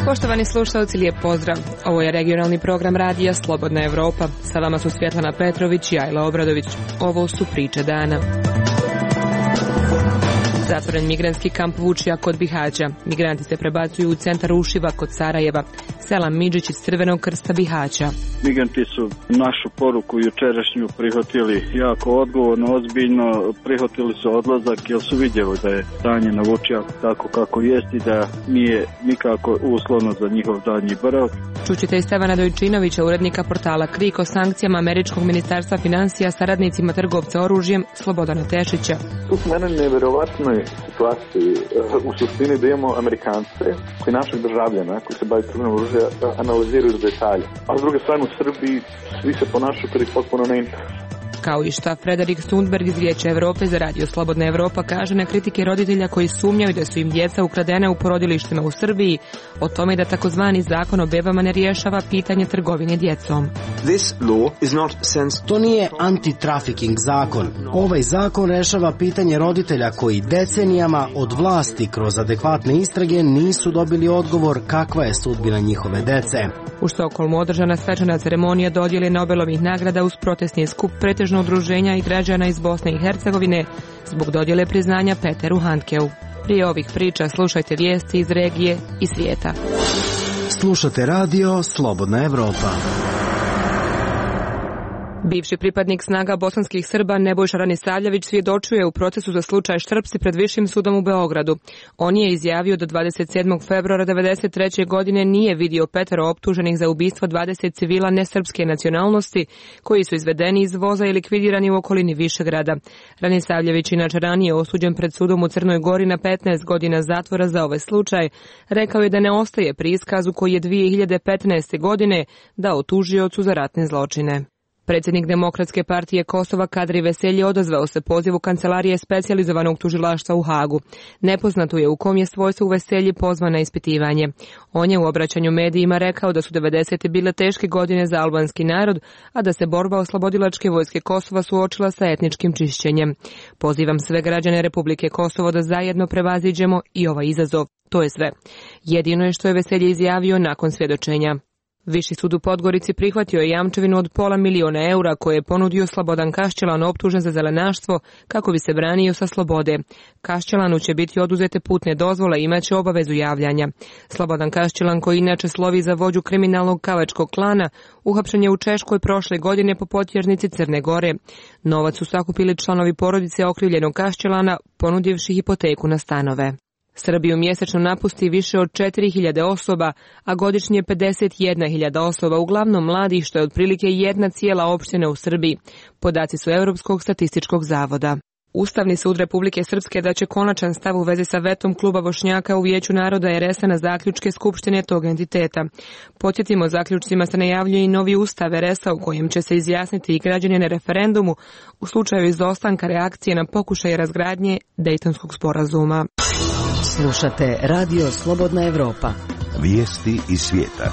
Poštovani slušalci, lijep pozdrav. Ovo je regionalni program radija Slobodna Evropa. Sa vama su Svjetlana Petrović i Ajla Obradović. Ovo su priče dana. Zatvoren migrantski kamp Vučija kod Bihaća. Migranti se prebacuju u centar Ušiva kod Sarajeva. Selam Midžić iz Crvenog krsta Bihaća. Migranti su našu poruku jučerašnju prihvatili jako odgovorno, ozbiljno. Prihvatili su odlazak jer su vidjeli da je stanje na Vučijaku tako kako jest i da nije nikako uslovno za njihov daljnji boravak. Čućete i Stevana Dojčinovića, urednika portala Krik, o sankcijama Američkog ministarstva financija saradnicima trgovca oružjem Slobodana Tešića. Tu smo na nevjerovatnoj situaciji u suštini da imamo Amerikance koji naših državljana koji se bave trgovinom oružja analiziraju do detalja. A s druge strane u Srbiji svi se ponašaju kada ih potpuno ne interesuje. Kao i šta Frederik Sundberg iz Vijeća Evrope za radio Slobodna Evropa kaže na kritike roditelja koji sumnjaju da su im djeca ukradene u porodilištima u Srbiji, o tome da takozvani zakon o bebama ne rješava pitanje trgovine djecom. To nije anti-trafficking zakon. Ovaj zakon rešava pitanje roditelja koji decenijama od vlasti kroz adekvatne istrage nisu dobili odgovor kakva je sudbina njihove dece. U Stokholmu održana svečana ceremonija dodjele Nobelovih nagrada uz protestni skup pretežno udruženja i građana iz Bosne i Hercegovine zbog dodjele priznanja Peteru Handkeu. Prije ovih priča slušajte vijesti iz regije i svijeta. Slušate radio Slobodna Evropa. Bivši pripadnik snaga bosanskih Srba Nebojša Ranisavljević svjedočuje u procesu za slučaj Štrpci pred Višim sudom u Beogradu. On je izjavio da 27. februara 1993. godine nije vidio petero optuženih za ubistvo 20 civila nesrpske nacionalnosti koji su izvedeni iz voza i likvidirani u okolini Višegrada. Ranisavljević, inače ranije osuđen pred sudom u Crnoj Gori na 15 godina zatvora za ovaj slučaj, rekao je da ne ostaje pri iskazu koji je 2015. godine dao tužiocu za ratne zločine. Predsjednik Demokratske partije Kosova Kadri Veselji odazvao se pozivu Kancelarije specijalizovanog tužilaštva u Hagu. Nepoznato je u kom je svojstvu Veselji pozvan na ispitivanje. On je u obraćanju medijima rekao da su 90. bile teške godine za albanski narod, a da se borba oslobodilačke vojske Kosova suočila sa etničkim čišćenjem. Pozivam sve građane Republike Kosovo da zajedno prevaziđemo i ovaj izazov. To je sve. Jedino je što je Veselji izjavio nakon svjedočenja. Viši sud u Podgorici prihvatio je jamčevinu od $500.000 eura koje je ponudio Slobodan Kašćelan optužen za zelenaštvo kako bi se branio sa slobode. Kašćelanu će biti oduzete putne dozvole i imaće obavezu javljanja. Slobodan Kašćelan, koji inače slovi za vođu kriminalnog kavačkog klana, uhapšen je u Češkoj prošle godine po potjernici Crne Gore. Novac su sakupili članovi porodice okrivljenog Kašćelana, ponudivši hipoteku na stanove. Srbiju mjesečno napusti više od 4.000 osoba, a godišnje 51.000 osoba, uglavnom mladih, što je otprilike jedna cijela opština u Srbiji. Podaci su Europskog statističkog zavoda. Ustavni sud Republike Srpske daće konačan stav u vezi sa vetom kluba Bošnjaka u Vijeću naroda RS-a na zaključke Skupštine tog entiteta. Podsjetimo, zaključcima se najavljuje i novi ustav RS-a u kojem će se izjasniti i građani na referendumu u slučaju izostanka reakcije na pokušaj razgradnje Dejtonskog sporazuma. Slušate radio Slobodna Evropa. Vijesti iz svijeta.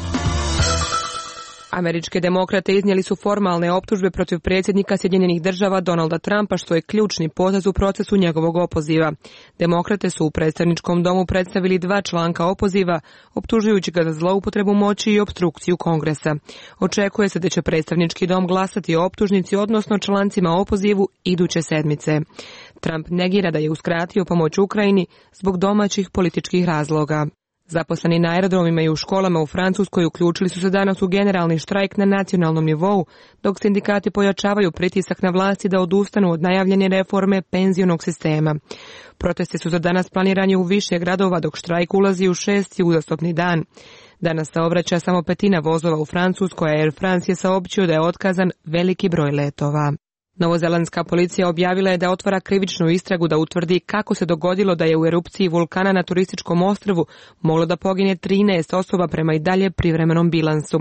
Američke demokrate iznijeli su formalne optužbe protiv predsjednika Sjedinjenih država Donalda Trumpa, što je ključni potez u procesu njegovog opoziva. Demokrate su u predstavničkom domu predstavili 2 članka opoziva, optužujući ga za zloupotrebu moći i opstrukciju Kongresa. Očekuje se da će predstavnički dom glasati o optužnici, odnosno člancima o opozivu, iduće sedmice. Trump negira da je uskratio pomoć Ukrajini zbog domaćih političkih razloga. Zaposleni na aerodromima i u školama u Francuskoj uključili su se danas u generalni štrajk na nacionalnom nivou, dok sindikati pojačavaju pritisak na vlasti da odustanu od najavljene reforme penzionog sistema. Protesti su za danas planirani u više gradova, dok štrajk ulazi u 6. uzastopni dan. Danas saobraća samo 1/5 vozova u Francuskoj, a Air France je saopćio da je otkazan veliki broj letova. Novozelandska policija objavila je da otvara krivičnu istragu da utvrdi kako se dogodilo da je u erupciji vulkana na turističkom ostrvu moglo da pogine 13 osoba prema i dalje privremenom bilansu.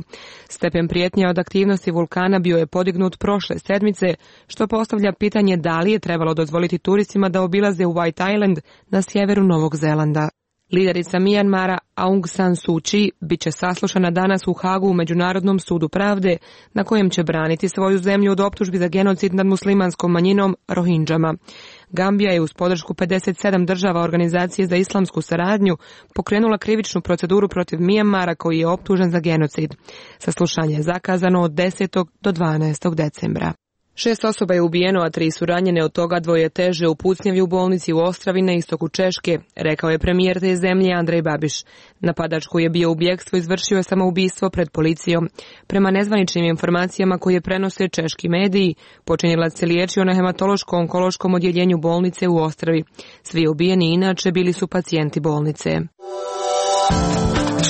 Stepen prijetnje od aktivnosti vulkana bio je podignut prošle sedmice, što postavlja pitanje da li je trebalo dozvoliti turistima da obilaze White Island na sjeveru Novog Zelanda. Liderica Mijanmara Aung San Suu Kyi bit će saslušana danas u Hagu u Međunarodnom sudu pravde, na kojem će braniti svoju zemlju od optužbi za genocid nad muslimanskom manjinom Rohinđama. Gambija je uz podršku 57 država Organizacije za islamsku saradnju pokrenula krivičnu proceduru protiv Mijanmara koji je optužen za genocid. Saslušanje je zakazano od 10. do 12. decembra. 6 osoba je ubijeno, a 3 su ranjene, od toga 2 teže u pucnjavi u bolnici u Ostravi na istoku Češke, rekao je premijer te zemlje Andrej Babiš. Napadač koji je bio u bjegstvu izvršio je samoubistvo pred policijom. Prema nezvaničnim informacijama koje prenose češki mediji, počinjelac se liječio na hematološko-onkološkom odjeljenju bolnice u Ostravi. Svi ubijeni inače bili su pacijenti bolnice.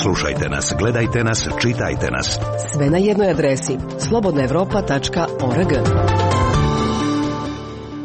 Slušajte nas, gledajte nas, čitajte nas. Sve na jednoj adresi slobodnaevropa.org.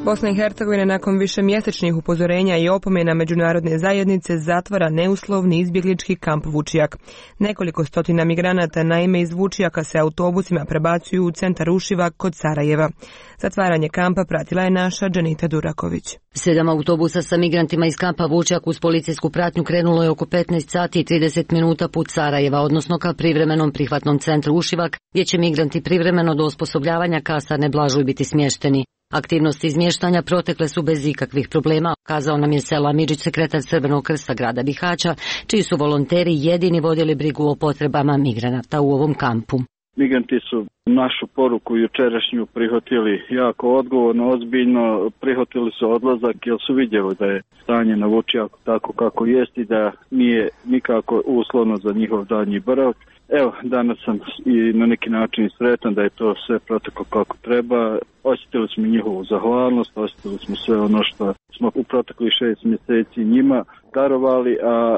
Bosna i Hercegovina nakon višemjesečnih upozorenja i opomena međunarodne zajednice zatvara neuslovni izbjeglički kamp Vučjak. Nekoliko stotina migranata naime iz Vučjaka se autobusima prebacuju u centar Ušivak kod Sarajeva. Zatvaranje kampa pratila je naša Dženita Duraković. 7 autobusa sa migrantima iz kampa Vučjak uz policijsku pratnju krenulo je oko 15 sati i 30 minuta put Sarajeva, odnosno ka privremenom prihvatnom centru Ušivak, gdje će migranti privremeno do osposobljavanja kasarne Blažuj biti smješteni. Aktivnosti izmještanja protekle su bez ikakvih problema, kazao nam je Sela Midžić, sekretar Crvenog krsta grada Bihaća, čiji su volonteri jedini vodili brigu o potrebama migranata u ovom kampu. Migranti su našu poruku jučerašnju prihvatili jako odgovorno, ozbiljno, prihvatili su odlazak jer su vidjeli da je stanje na Vučjaku tako kako jest i da nije nikako uslovno za njihov daljnji boravak. Evo, danas sam i na neki način sretan da je to sve proteklo kako treba. Osjetili smo njihovu zahvalnost, osjetili smo sve ono što smo u proteklih 6 mjeseci njima darovali, a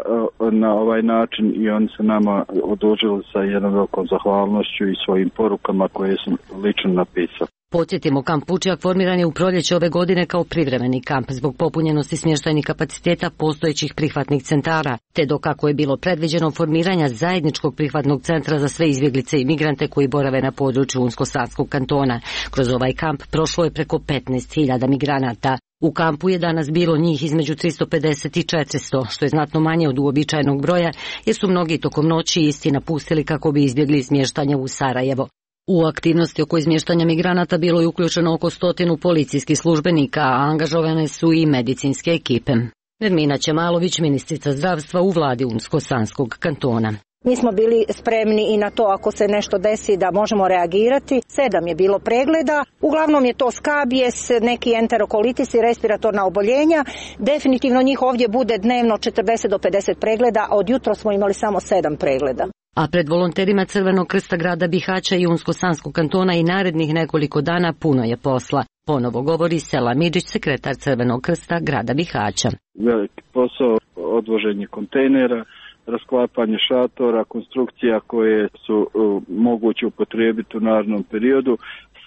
na ovaj način i oni se nama odužili sa jednom velikom zahvalnošću i svojim porukama koje sam lično napisao. Podsjetimo, kamp Vučjak formiran je u proljeće ove godine kao privremeni kamp zbog popunjenosti smještajnih kapaciteta postojećih prihvatnih centara, te dok kako je bilo predviđeno formiranja zajedničkog prihvatnog centra za sve izbjeglice i migrante koji borave na području Unsko-Sanskog kantona. Kroz ovaj kamp prošlo je preko 15.000 migranata. U kampu je danas bilo njih između 350 i 400, što je znatno manje od uobičajenog broja, jer su mnogi tokom noći isti napustili kako bi izbjegli smještanje u Sarajevo. U aktivnosti oko izmještanja migranata bilo je uključeno oko 100 policijskih službenika, a angažovane su i medicinske ekipe. Nermina Čemalović, ministrica zdravstva u vladi Unsko-Sanskog kantona. Mi smo bili spremni i na to ako se nešto desi da možemo reagirati. 7 je bilo pregleda, uglavnom je to skabijes, neki enterokolitis i respiratorna oboljenja. Definitivno njih ovdje bude dnevno 40 do 50 pregleda, a od jutro smo imali samo 7 pregleda. A pred volonterima Crvenog krsta grada Bihaća i Unsko-Sanskog kantona i narednih nekoliko dana puno je posla. Ponovo govori Sela Midžić, sekretar Crvenog krsta grada Bihaća. Veliki posao, odvoženje kontejnera, rasklapanje šatora, konstrukcija koje su moguće upotrijebiti u narednom periodu.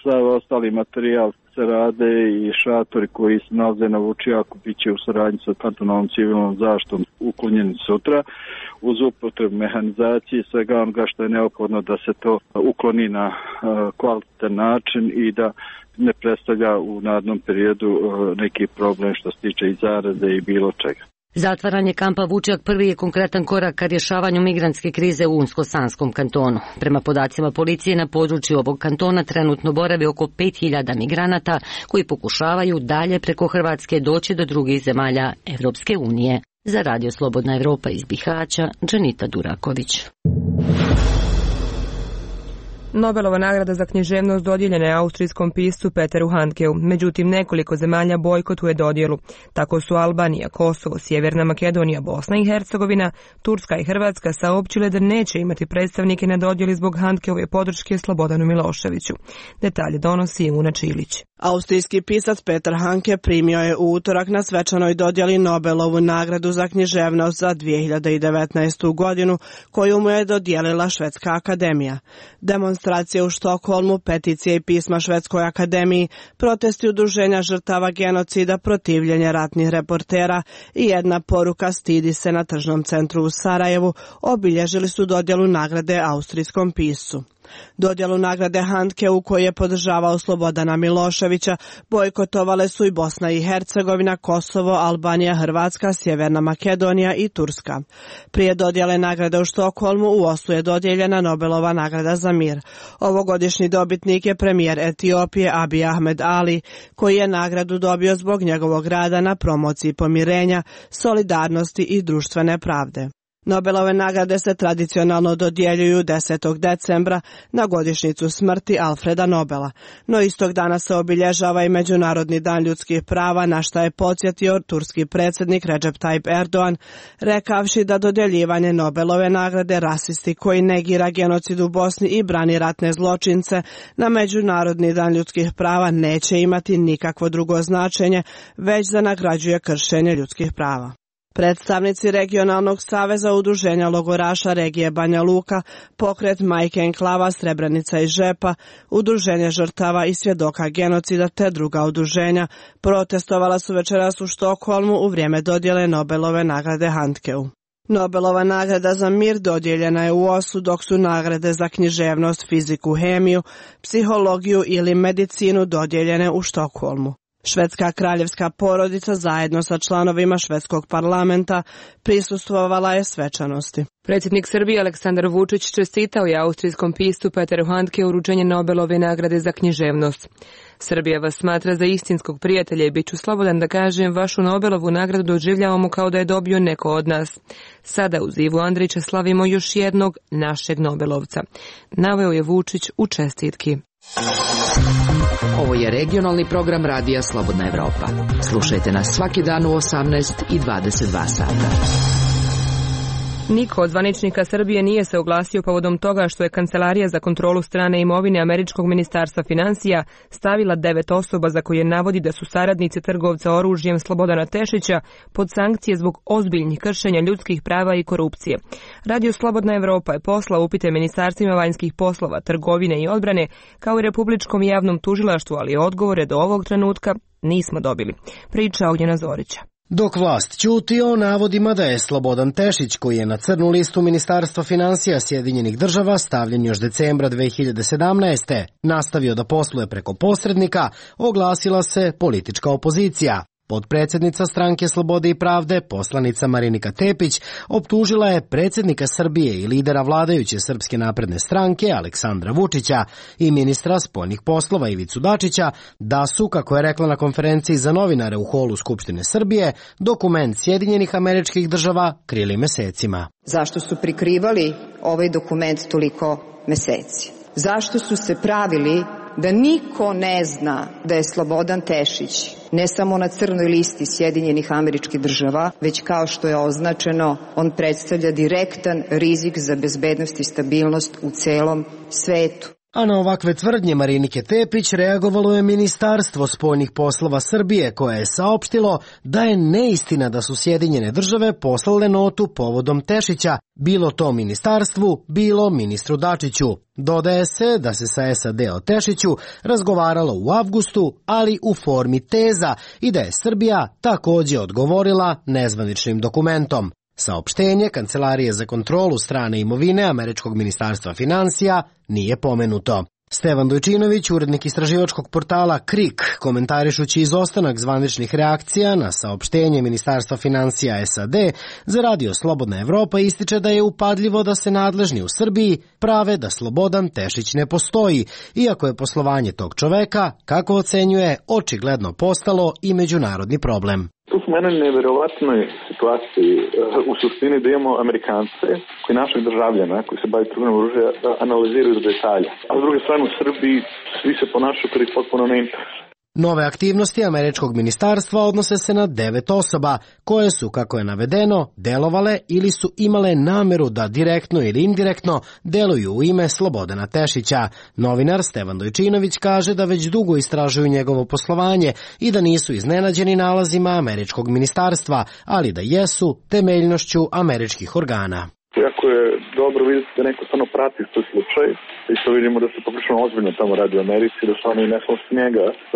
Sav ostali materijal se rade i šatori koji se nalaze na Vučjaku bit će u saradnji sa kantonalnom civilnom zaštitom uklonjeni sutra uz upotrebu mehanizacije i svega onoga što je neophodno da se to ukloni na kvalitetan način i da ne predstavlja u narednom periodu neki problem što se tiče i zaraze i bilo čega. Zatvaranje kampa Vučjak prvi je konkretan korak ka rješavanju migrantske krize u Unsko-Sanskom kantonu. Prema podacima policije na području ovog kantona trenutno boravi oko 5.000 migranata koji pokušavaju dalje preko Hrvatske doći do drugih zemalja Evropske unije. Za Radio Slobodna Evropa iz Bihaća, Dženita Duraković. Nobelova nagrada za književnost dodijeljena je austrijskom piscu Peteru Handkeu, međutim nekoliko zemalja bojkotuje dodjelu. Tako su Albanija, Kosovo, Sjeverna Makedonija, Bosna i Hercegovina, Turska i Hrvatska saopćile da neće imati predstavnike na dodjeli zbog Handkeove podrške Slobodanu Miloševiću. Detalje donosi Una Čilić. Austrijski pisac Peter Handke primio je u utorak na svečanoj dodjeli Nobelovu nagradu za književnost za 2019. godinu, koju mu je dodijelila Švedska akademija. Demonstracije u Štokholmu, peticije i pisma Švedskoj akademiji, protesti udruženja žrtava genocida, protivljenje ratnih reportera i jedna poruka stidi se na tržnom centru u Sarajevu obilježili su dodjelu nagrade austrijskom piscu. Dodjelu nagrade Handke u kojoj je podržavao Slobodana Miloševića bojkotovale su i Bosna i Hercegovina, Kosovo, Albanija, Hrvatska, Sjeverna Makedonija i Turska. Prije dodjele nagrade u Štokholmu u Oslu je dodijeljena Nobelova nagrada za mir. Ovogodišnji dobitnik je premijer Etiopije Abiy Ahmed Ali, koji je nagradu dobio zbog njegovog rada na promociji pomirenja, solidarnosti i društvene pravde. Nobelove nagrade se tradicionalno dodjeljuju 10. decembra na godišnjicu smrti Alfreda Nobela, no istog dana se obilježava i Međunarodni dan ljudskih prava, na šta je podsjetio turski predsjednik Recep Tayyip Erdogan, rekavši da dodjeljivanje Nobelove nagrade rasisti koji negira genocid u Bosni i brani ratne zločince na Međunarodni dan ljudskih prava neće imati nikakvo drugo značenje, već da nagrađuje kršenje ljudskih prava. Predstavnici Regionalnog saveza udruženja logoraša regije Banja Luka, pokret Majke enklava Srebrenica i Žepa, udruženje žrtava i svjedoka genocida te druga udruženja protestovala su večeras u Štokholmu u vrijeme dodjele Nobelove nagrade Handkeu. Nobelova nagrada za mir dodijeljena je u Oslu, dok su nagrade za književnost, fiziku, hemiju, psihologiju ili medicinu dodijeljene u Štokholmu. Švedska kraljevska porodica zajedno sa članovima švedskog parlamenta prisustvovala je svečanosti. Predsjednik Srbije Aleksandar Vučić čestitao je austrijskom pistu Peteru Handke uručenje Nobelove nagrade za književnost. Srbija vas smatra za istinskog prijatelja i bit ću slobodan da kažem, vašu Nobelovu nagradu doživljavamo kao da je dobio neko od nas. Sada uz Ivu Andrića slavimo još jednog našeg Nobelovca, naveo je Vučić u čestitki. Ovo je regionalni program Radija Slobodna Evropa. Slušajte nas svaki dan u 18 i 22 sata. Niko od zvaničnika Srbije nije se oglasio povodom toga što je Kancelarija za kontrolu strane imovine Američkog ministarstva financija stavila 9 osoba za koje navodi da su saradnici trgovca oružjem Slobodana Tešića pod sankcije zbog ozbiljnih kršenja ljudskih prava i korupcije. Radio Slobodna Evropa je poslao upite ministarstvima vanjskih poslova, trgovine i odbrane kao i Republičkom javnom tužilaštvu, ali odgovore do ovog trenutka nismo dobili. Priča Ognjena Zorića. Dok vlast ćuti o navodima da je Slobodan Tešić, koji je na crnu listu Ministarstva financija Sjedinjenih država stavljen još decembra 2017. nastavio da posluje preko posrednika, oglasila se politička opozicija. Potpredsjednica Stranke Slobode i pravde, poslanica Marinika Tepić, optužila je predsjednika Srbije i lidera vladajuće Srpske napredne stranke Aleksandra Vučića i ministra spoljnih poslova Ivicu Dačića da su, kako je rekla na konferenciji za novinare u holu Skupštine Srbije, dokument Sjedinjenih Američkih Država krili mesecima. Zašto su prikrivali ovaj dokument toliko meseci? Zašto su se pravili da niko ne zna da je Slobodan Tešić ne samo na crnoj listi Sjedinjenih Američkih Država, već kao što je označeno, on predstavlja direktan rizik za bezbednost i stabilnost u celom svetu. A na ovakve tvrdnje Marinike Tepić reagovalo je Ministarstvo spoljnih poslova Srbije, koje je saopštilo da je neistina da su Sjedinjene Države poslale notu povodom Tešića, bilo to ministarstvu, bilo ministru Dačiću. Dodaje se da se sa SAD o Tešiću razgovaralo u avgustu, ali u formi teza i da je Srbija također odgovorila nezvaničnim dokumentom. Saopštenje Kancelarije za kontrolu strane imovine Američkog ministarstva financija nije pomenuto. Stevan Dojčinović, urednik istraživačkog portala KRIK, komentarišući izostanak zvaničnih reakcija na saopštenje Ministarstva financija SAD za Radio Slobodna Evropa, ističe da je upadljivo da se nadležni u Srbiji prave da Slobodan Tešić ne postoji, iako je poslovanje tog čoveka, kako ocenjuje, očigledno postalo i međunarodni problem. Tu smo u jednoj nevjerovatnoj situaciji u suštini da imamo Amerikance koji naših državljana koji se bave trgovinom oružja analiziraju do detalja. A s druge strane u Srbiji svi se ponašaju kao ih potpuno ne interesuje. Nove aktivnosti Američkog ministarstva odnose se na 9 osoba koje su, kako je navedeno, delovale ili su imale nameru da direktno ili indirektno deluju u ime Slobodana Tešića. Novinar Stevan Dojčinović kaže da već dugo istražuju njegovo poslovanje i da nisu iznenađeni nalazima Američkog ministarstva, ali da jesu temeljnošću američkih organa. Jako je dobro vidjeti da neko stvarno prati svoj slučaj i što vidimo da se poprilično ozbiljno tamo radi u Americi, da su oni ne samo s njega, su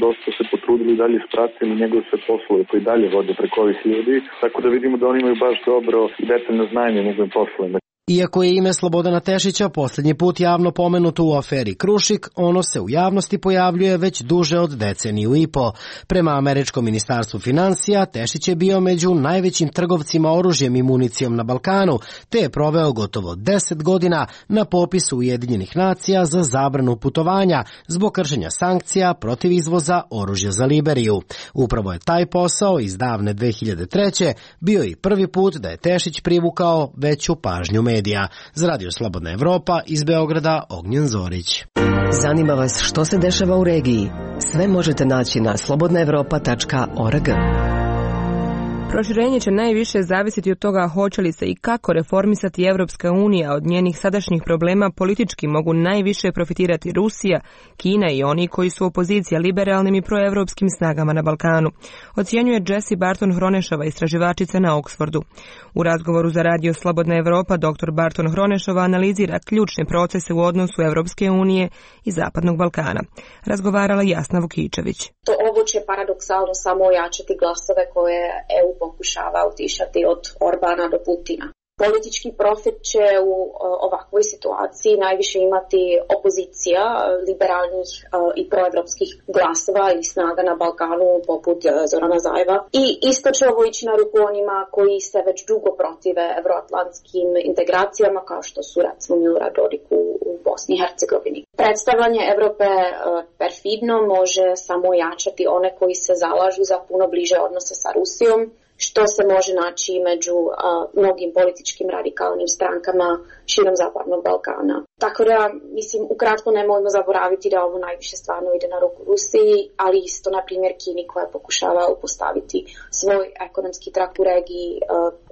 dosta se potrudili i dalje ispratili njegove sve poslove koji dalje vode preko ovih ljudi, tako da vidimo da oni imaju baš dobro i detaljno znanje njegovim poslovima. Iako je ime Slobodana Tešića posljednji put javno pomenuto u aferi Krušik, ono se u javnosti pojavljuje već duže od deceniju i po. Prema američkom ministarstvu financija, Tešić je bio među najvećim trgovcima oružjem i municijom na Balkanu, te je proveo gotovo 10 godina na popisu Ujedinjenih nacija za zabranu putovanja zbog kršenja sankcija protiv izvoza oružja za Liberiju. Upravo je taj posao iz davne 2003. bio i prvi put da je Tešić privukao veću pažnju medija. Za Radio Slobodna Evropa iz Beograda, Ognjen Zorić. Zanima vas što se dešava u regiji? Sve možete naći na slobodnaevropa.org. Proširenje će najviše zavisiti od toga hoće li se i kako reformisati Evropska unija. Od njenih sadašnjih problema politički mogu najviše profitirati Rusija, Kina i oni koji su opozicija liberalnim i proevropskim snagama na Balkanu, ocjenjuje Jessie Barton Hronešova, istraživačica na Oxfordu. U razgovoru za Radio Slobodna Evropa dr. Barton Hronešova analizira ključne procese u odnosu Evropske unije i Zapadnog Balkana. Razgovarala Jasna Vukičević. Ovo će paradoksalno samo ojačati glasove koje EU pokušava utišati od Orbana do Putina. Politički profit će u ovakvoj situaciji najviše imati opozicija liberalnih i proevropskih glasova i snaga na Balkanu poput Zorana Zajeva. I isto će ovo ići na ruku onima koji se već dugo protive evroatlantskim integracijama kao što su recimo Milorad Dodik u Bosni i Hercegovini. Predstavljanje Evrope perfidno može samo jačati one koji se zalažu za puno bliže odnose sa Rusijom, što se može naći među mnogim političkim radikalnim strankama širom Zapadnog Balkana. Tako da, mislim, ukratko nemojmo zaboraviti da ovo najviše stvarno ide na ruku Rusiji, ali isto, na primjer, Kini koja pokušava upostaviti svoj ekonomski trak u regiji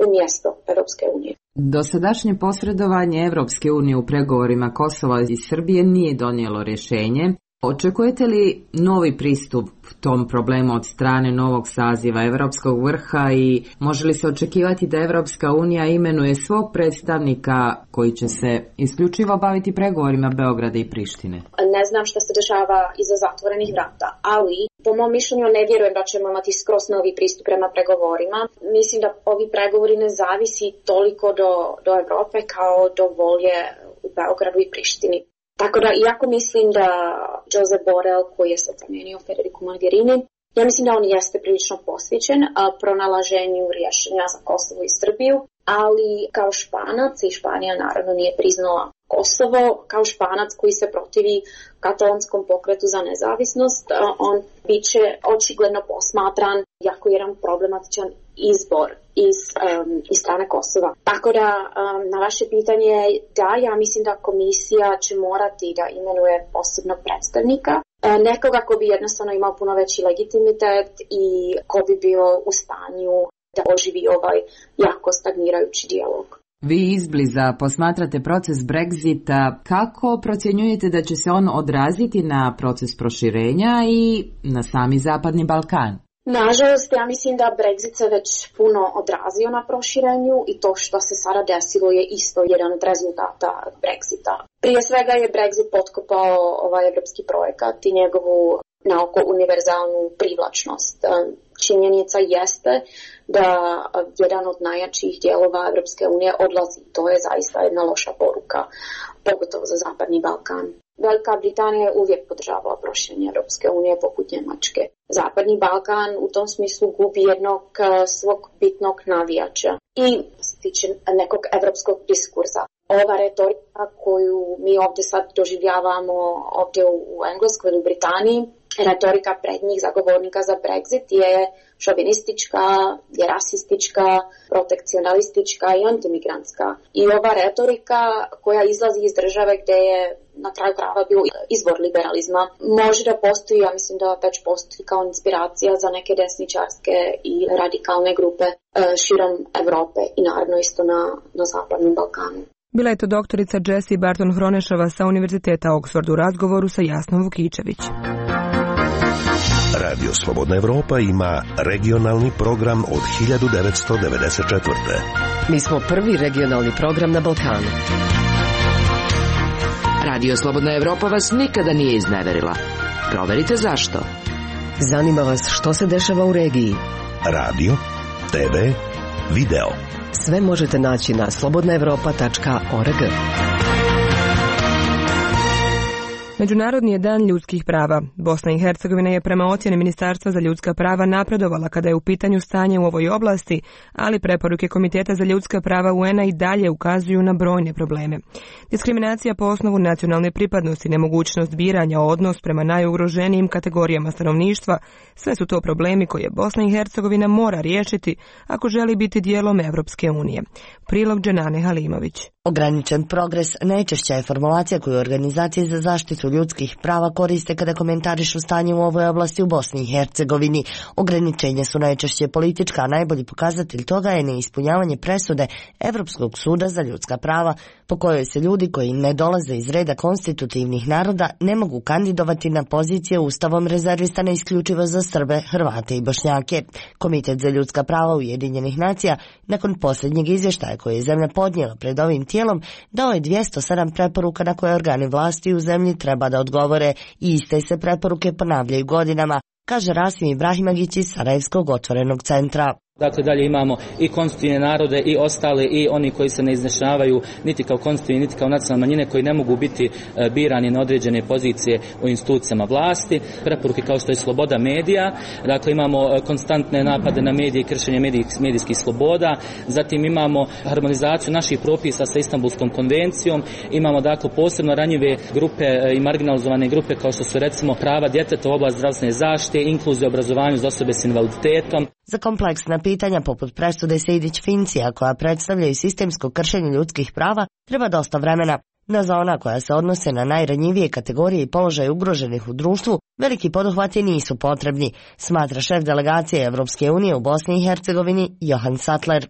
umjesto Evropske unije. Dosadašnje posredovanje Evropske unije u pregovorima Kosova i Srbije nije donijelo rješenje. Očekujete li novi pristup tom problemu od strane novog saziva Evropskog vrha i može li se očekivati da Evropska unija imenuje svog predstavnika koji će se isključivo baviti pregovorima Beograda i Prištine? Ne znam što se dešava iza zatvorenih vrata, ali po mom mišljenju ne vjerujem da ćemo imati skroz novi pristup prema pregovorima. Mislim da ovi pregovori ne zavisi toliko do Evrope kao do volje u Beogradu i Prištini. Tako da, iako mislim da Josep Borrell, koji je sad zamijenio Federicu Mogherini, ja mislim da on jeste prilično posvećen pronalaženju rješenja za Kosovo i Srbiju, ali kao Španac, i Španija naravno nije priznala Kosovo, kao Španac koji se protivi katalonskom pokretu za nezavisnost, on bit će očigledno posmatran jako jedan problematičan izbor iz strane Kosova. Tako da, na vaše pitanje, da, ja mislim da komisija će morati da imenuje posebnog predstavnika, nekoga ko bi jednostavno imao puno veći legitimitet i ko bi bio u stanju da oživi ovaj jako stagnirajući dijalog. Vi izbliza posmatrate proces Brexita. Kako procjenjujete da će se on odraziti na proces proširenja i na sami Zapadni Balkan? Nažalost, ja mislim da Brexit se već puno odrazio na proširenju i to što se sada desilo je isto jedan od rezultata Brexita. Prije svega je Brexit potkopao ovaj evropski projekat i njegovu naoko univerzalnu privlačnost. Činjenica jeste da jedan od najjačih dijelova Evropske unije odlazi. To je zaista jedna loša poruka, pogotovo za Zapadni Balkan. Velika Britanija je uvijek podržavala proširenje Evropske unije poput Njemačke. Zapadni Balkan u tom smislu gubi jednog svog bitnog navijača. I što se tiče nekog evropskog diskursa, ova retorika koju mi ovdje sad doživljavamo ovdje u Engleskoj ili u Britaniji, retorika prednjih zagovornika za Brexit je šovinistička, je rasistička, protekcionalistička i antimigrantska. I ova retorika koja izlazi iz države gdje je na kraju krajeva bio izvor liberalizma, može da postoji, ja mislim da već postoji kao inspiracija za neke desničarske i radikalne grupe širom Evrope i naravno isto na Zapadnom Balkanu. Bila je to doktorica Jessie Barton Hronešova sa Univerziteta Oxford u razgovoru sa Jasnom Vukičević. Radio Slobodna Evropa ima regionalni program od 1994. Mi smo prvi regionalni program na Balkanu. Radio Slobodna Evropa vas nikada nije izneverila. Proverite zašto. Zanima vas što se dešava u regiji. Radio, TV, video. Sve možete naći na slobodnaevropa.org. Međunarodni je dan ljudskih prava. Bosna i Hercegovina je prema ocjeni Ministarstva za ljudska prava napredovala kada je u pitanju stanje u ovoj oblasti, ali preporuke Komiteta za ljudska prava UN-a i dalje ukazuju na brojne probleme. Diskriminacija po osnovu nacionalne pripadnosti, nemogućnost biranja, odnos prema najugroženijim kategorijama stanovništva, sve su to problemi koje Bosna i Hercegovina mora riješiti ako želi biti dijelom Evropske unije. Prilog Dženane Halimović. Ograničen progres najčešća je formulacija koju organizacije za zaštitu ljudskih prava koriste kada komentarišu stanje u ovoj oblasti u Bosni i Hercegovini. Ograničenja su najčešće politička, a najbolji pokazatelj toga je neispunjavanje presude Evropskog suda za ljudska prava, po kojoj se ljudi koji ne dolaze iz reda konstitutivnih naroda ne mogu kandidovati na pozicije ustavom rezervisane isključivo za Srbe, Hrvate i Bošnjake. Komitet za ljudska prava Ujedinjenih nacija, nakon posljednjeg izvještaja koje je zemlja podnijela pred ovim tijelom, dao je 207 preporuka na koje organi vlasti u zemlji treba da odgovore i iste se preporuke ponavljaju godinama, kaže Rasim Ibrahimagić iz Sarajevskog otvorenog centra. Dakle, dalje imamo i konstitutivne narode i ostale i oni koji se ne izjašnjavaju niti kao konstitutivni, niti kao nacionalne manjine, koji ne mogu biti birani na određene pozicije u institucijama vlasti. Preporuke kao što je sloboda medija, dakle imamo konstantne napade na medije i kršenje medijskih sloboda, zatim imamo harmonizaciju naših propisa sa Istanbulskom konvencijom, imamo dakle posebno ranjive grupe i marginalizovane grupe kao što su recimo prava djeteta u oblasti zdravstvene zaštite, inkluziju obrazovanju za osobe s invaliditetom. Za kompleksna pitanja poput presude Sejdić-Fincija, koja predstavljaju sistemsko kršenje ljudskih prava, treba dosta vremena. No za ona koja se odnose na najranjivije kategorije i položaje ugroženih u društvu, veliki poduhvati nisu potrebni, smatra šef delegacije Evropske unije u Bosni i Hercegovini Johan Sattler.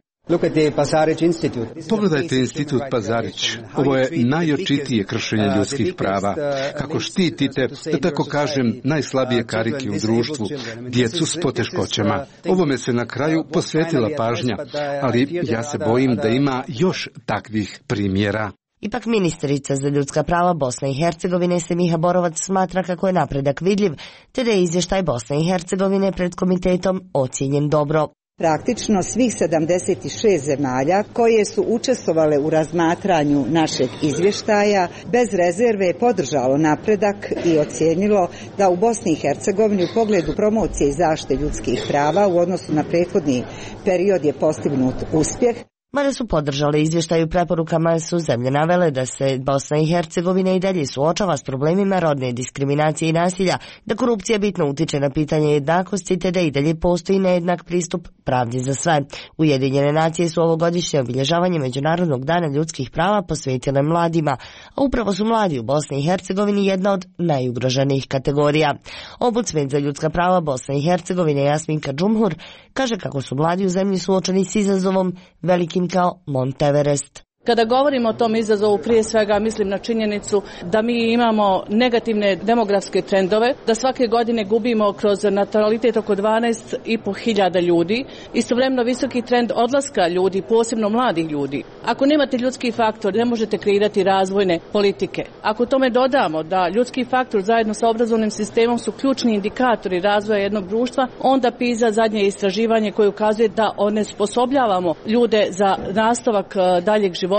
Pogledajte institut Pazarić. Ovo je najočitije kršenje ljudskih prava. Kako štitite, da tako kažem, najslabije karike u društvu, djecu s poteškoćama. Ovome se na kraju posvetila pažnja, ali ja se bojim da ima još takvih primjera. Ipak ministrica za ljudska prava Bosne i Hercegovine Semiha Borovac smatra kako je napredak vidljiv, te da je izvještaj Bosne i Hercegovine pred komitetom ocijenjen dobro. Praktično svih 76 zemalja koje su učestvovale u razmatranju našeg izvještaja bez rezerve je podržalo napredak i ocijenilo da u Bosni i Hercegovini u pogledu promocije i zaštite ljudskih prava u odnosu na prethodni period je postignut uspjeh. Mada su podržali izvještaj u preporukama, su zemlje navele da se Bosna i Hercegovina i dalje suočava s problemima rodne diskriminacije i nasilja, da korupcija bitno utiče na pitanje jednakosti, te da i dalje postoji nejednak pristup pravdi za sve. Ujedinjene nacije su ovogodišnje obilježavanje Međunarodnog dana ljudskih prava posvetile mladima, a upravo su mladi u Bosni i Hercegovini jedna od najugroženijih kategorija. Ombudsman za ljudska prava Bosne i Hercegovine Jasminka Džumhur kaže kako su mladi u zemlji suočeni s izazovom velikim kao Mont Everest. Kada govorimo o tom izazovu, prije svega mislim na činjenicu da mi imamo negativne demografske trendove, da svake godine gubimo kroz natalitet oko 12.500 ljudi, istovremeno visoki trend odlaska ljudi, posebno mladih ljudi. Ako nemate ljudski faktor, ne možete kreirati razvojne politike. Ako tome dodamo da ljudski faktor zajedno sa obrazovnim sistemom su ključni indikatori razvoja jednog društva, onda PISA, zadnje istraživanje koje ukazuje da onesposobljavamo ljude za nastavak daljeg života,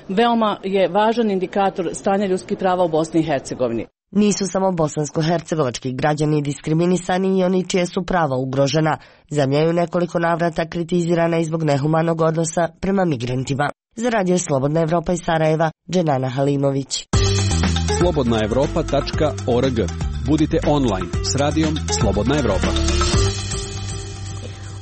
veoma je važan indikator stanja ljudskih prava u Bosni i Hercegovini. Nisu samo bosansko-hercegovački građani diskriminisani i oni čije su prava ugrožena. Zemlja je u nekoliko navrata kritizirana i zbog nehumanog odnosa prema migrantima. Za radio Slobodna Evropa iz Sarajeva, Dženana Halimović. slobodnaevropa.org. Budite online s radijom Slobodna Evropa.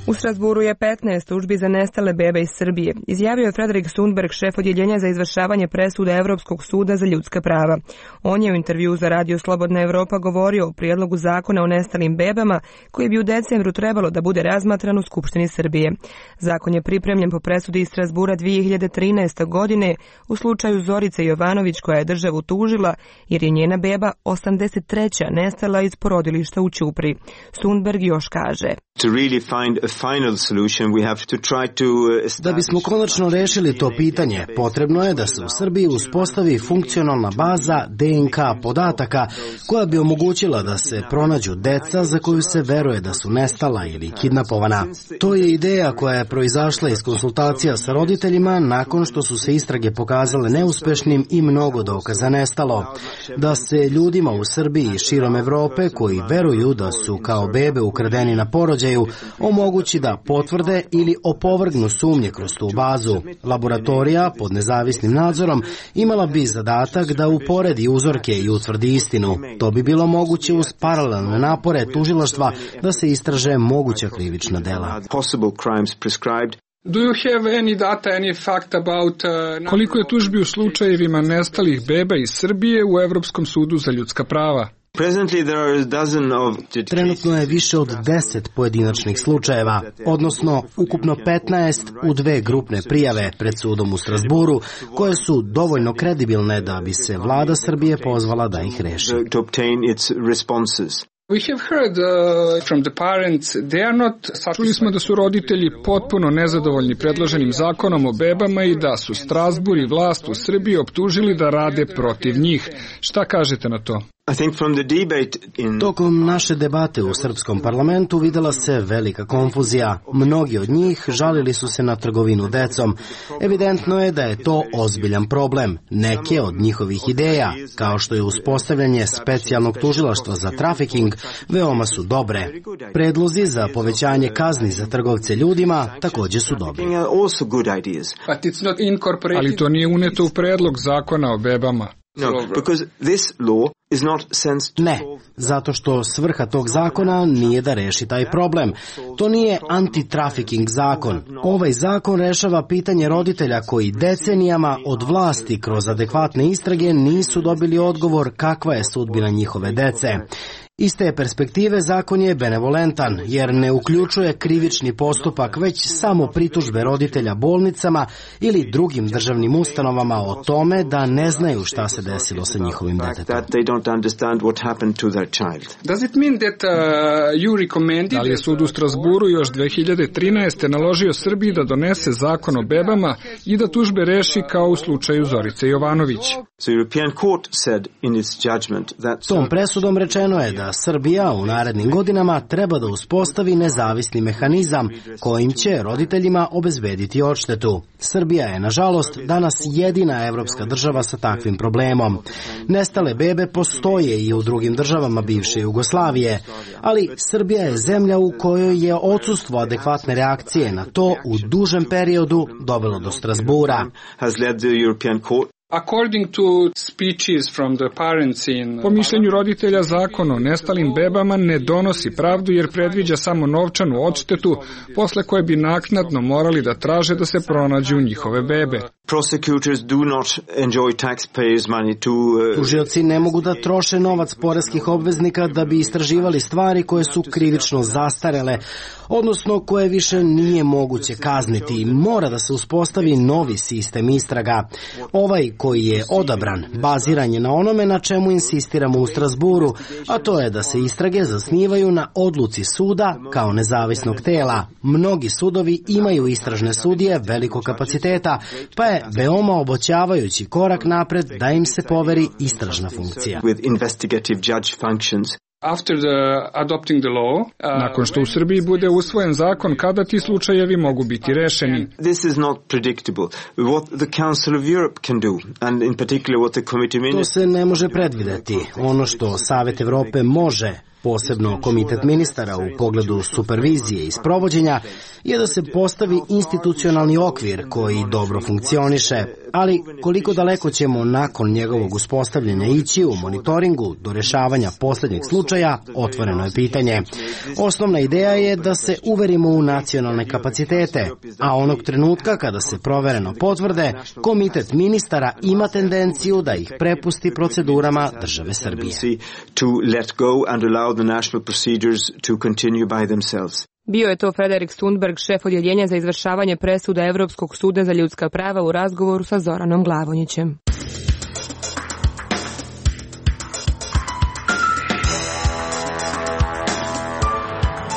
U Strasburu je 15 tužbi za nestale bebe iz Srbije, izjavio je Frederik Sundberg, šef odjeljenja za izvršavanje presude Evropskog suda za ljudska prava. On je u intervjuu za radio Slobodna Evropa govorio o prijedlogu zakona o nestalim bebama koji bi u decembru trebalo da bude razmatran u Skupštini Srbije. Zakon je pripremljen po presudi iz Strasbura 2013. godine u slučaju Zorice Jovanović, koja je državu tužila jer je njena beba 83. nestala iz porodilišta u Ćupri. Sundberg još kaže: Da bismo konačno rešili to pitanje, potrebno je da se u Srbiji uspostavi funkcionalna baza DNK podataka koja bi omogućila da se pronađu deca za koju se veruje da su nestala ili kidnapovana. To je ideja koja je proizašla iz konsultacija sa roditeljima nakon što su se istrage pokazale neuspešnim i mnogo dokaza nestalo. Da se ljudima u Srbiji i širom Evrope koji veruju da su kao bebe ukradeni na porođaju omogući da potvrde ili opovrgnu sumnje kroz tu bazu. Laboratorija pod nezavisnim nadzorom imala bi zadatak da uporedi uzorke i utvrdi istinu. To bi bilo moguće uz paralelne napore tužilaštva da se istraže moguća krivična dela. Koliko je tužbi u slučajevima nestalih beba iz Srbije u Evropskom sudu za ljudska prava? Trenutno je više od 10 pojedinačnih slučajeva, odnosno ukupno 15 u 2 grupne prijave pred sudom u Strasburu, koje su dovoljno kredibilne da bi se vlada Srbije pozvala da ih reši. Čuli smo da su roditelji potpuno nezadovoljni predloženim zakonom o bebama i da su Strasbur i vlast u Srbiji optužili da rade protiv njih. Šta kažete na to? Tokom naše debate u srpskom parlamentu videla se velika konfuzija. Mnogi od njih žalili su se na trgovinu decom. Evidentno je da je to ozbiljan problem. Neke od njihovih ideja, kao što je uspostavljanje specijalnog tužilaštva za trafiking, veoma su dobre. Predlozi za povećanje kazni za trgovce ljudima također su dobri. Ali to nije uneto u predlog zakona o bebama. Ne, zato što svrha tog zakona nije da reši taj problem. To nije anti-trafficking zakon. Ovaj zakon rešava pitanje roditelja koji decenijama od vlasti kroz adekvatne istrage nisu dobili odgovor kakva je sudbina njihove dece. Iz te perspektive zakon je benevolentan, jer ne uključuje krivični postupak, već samo pritužbe roditelja bolnicama ili drugim državnim ustanovama o tome da ne znaju šta se desilo sa njihovim detetom. Da li je sud u Strasburu još 2013. naložio Srbiji da donese zakon o bebama i da tužbe reši kao u slučaju Zorice Jovanović? Tom presudom rečeno je da Srbija u narednim godinama treba da uspostavi nezavisni mehanizam kojim će roditeljima obezbediti odštetu. Srbija je, nažalost, danas jedina evropska država sa takvim problemom. Nestale bebe postoje i u drugim državama bivše Jugoslavije, ali Srbija je zemlja u kojoj je odsustvo adekvatne reakcije na to u dužem periodu dovelo do Strasbura. Po mišljenju roditelja, zakon o nestalim bebama ne donosi pravdu jer predviđa samo novčanu odštetu posle koje bi naknadno morali da traže da se pronađu njihove bebe. Tužioci ne mogu da troše novac poreskih obveznika da bi istraživali stvari koje su krivično zastarele, odnosno koje više nije moguće kazniti. Mora da se uspostavi novi sistem istraga. Ovaj koji je odabran baziran je na onome na čemu insistiramo u Strasburu, a to je da se istrage zasnivaju na odluci suda kao nezavisnog tela. Mnogi sudovi imaju istražne sudije velikog kapaciteta, pa je veoma obećavajući korak napred da im se poveri istražna funkcija. Nakon što u Srbiji bude usvojen zakon, kada ti slučajevi mogu biti rešeni? To se ne može predvideti. Ono što Savet Evrope može, posebno Komitet ministara u pogledu supervizije i sprovođenja, je da se postavi institucionalni okvir koji dobro funkcioniše, ali koliko daleko ćemo nakon njegovog uspostavljanja ići u monitoringu do rešavanja posljednjeg slučaja, otvoreno je pitanje. Osnovna ideja je da se uverimo u nacionalne kapacitete, a onog trenutka kada se provereno potvrde, Komitet ministara ima tendenciju da ih prepusti procedurama države Srbije. Bio je to Frederik Sundberg, šef odjeljenja za izvršavanje presuda Evropskog suda za ljudska prava u razgovoru sa Zoranom Glavonjićem.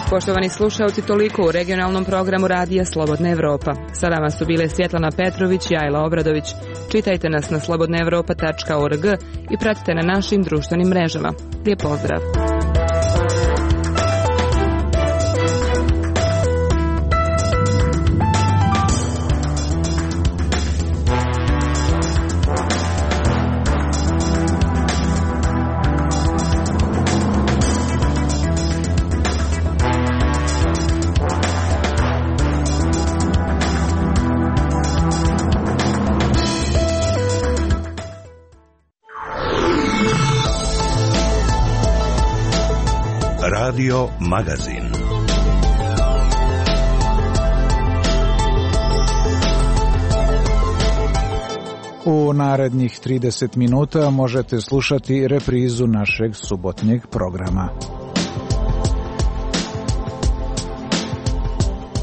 Poštovani slušalci, toliko u regionalnom programu Radija Slobodna Evropa. Sa nama su bile Svjetlana Petrović i Ajla Obradović. Čitajte nas na slobodnaevropa.org i pratite na našim društvenim mrežama. Lijep pozdrav! Radio Magazin. U narednih 30 minuta možete slušati reprizu našeg subotnjeg programa.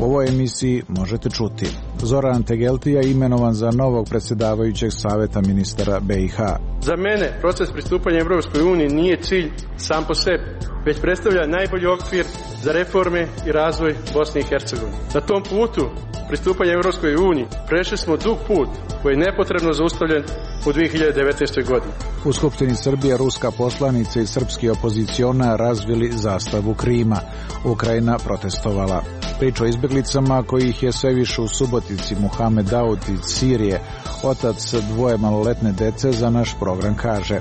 U ovoj emisiji možete čuti: Zoran Tegeltija imenovan za novog predsjedavajućeg saveta ministara BiH. Za mene proces pristupanja Europskoj uniji nije cilj sam po sebi, već predstavlja najbolji okvir za reforme i razvoj Bosne i Hercegovine. Na tom putu pristupanja Europskoj uniji prešli smo dug put koji je nepotrebno zaustavljen u 2019. godini. U Skupštini Srbije ruska poslanica i srpski opozicionar razvili zastavu Krima. Ukrajina protestovala. Priča o izbjeglicama kojih je sve više u Subotici. Muhamed Daud iz Sirije, otac dvoje maloletne dece, za naš program kaže: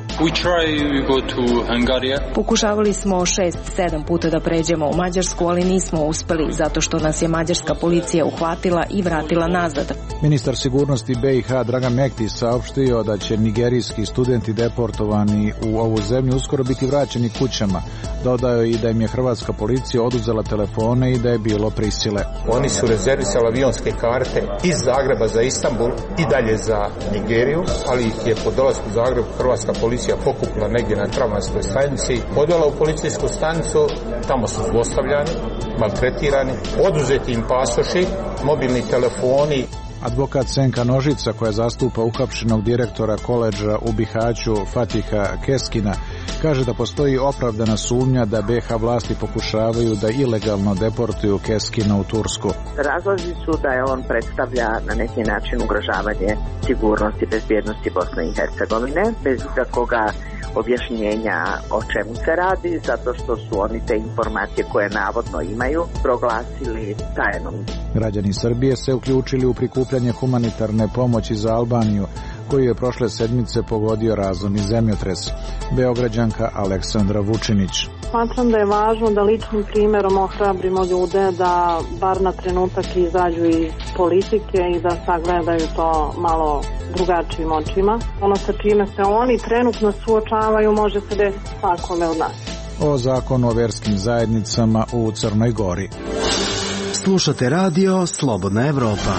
Pokušavali smo 6-7 puta da pređemo u Mađarsku, ali nismo uspeli zato što nas je mađarska policija uhvatila i vratila nazad. Ministar sigurnosti BiH Dragan Mektić saopštio da će nigerijski studenti deportovani u ovu zemlju uskoro biti vraćeni kućama. Dodao i da im je hrvatska policija oduzela telefone i da je bilo prisile. Oni su rezervisali avionske karte iz Zagreba za Istanbul i dalje za Nigeriju, ali ih je po dolasku u Zagreb hrvatska policija pokupila negdje na tramvajskoj stanici, odvela u policijsku stanicu, tamo su zlostavljani, maltretirani, oduzeti im pasoši, mobilni telefoni. Advokat Senka Nožica, koja zastupa uhapšenog direktora koledža u Bihaću Fatiha Keskina, kaže da postoji opravdana sumnja da BiH vlasti pokušavaju da ilegalno deportuju Keskina u Tursku. Razlozi su da je on predstavlja na neki način ugrožavanje sigurnosti i bezbjednosti Bosne i Hercegovine, bez ikakvoga objašnjenja o čemu se radi, zato što su oni te informacije koje navodno imaju proglasili tajnom. Građani Srbije se uključili u prikupljanje humanitarne pomoći za Albaniju, koju je prošle sedmice pogodio razorni zemljotres. Beograđanka Aleksandra Vučinić: Smatram da je važno da ličnim primjerom ohrabrimo ljude da bar na trenutak izađu iz politike i da sagledaju to malo drugačijim očima. Ono sa čime se oni trenutno suočavaju može se desiti svakome od nas. O zakonu o verskim zajednicama u Crnoj Gori. Slušate radio Slobodna Evropa.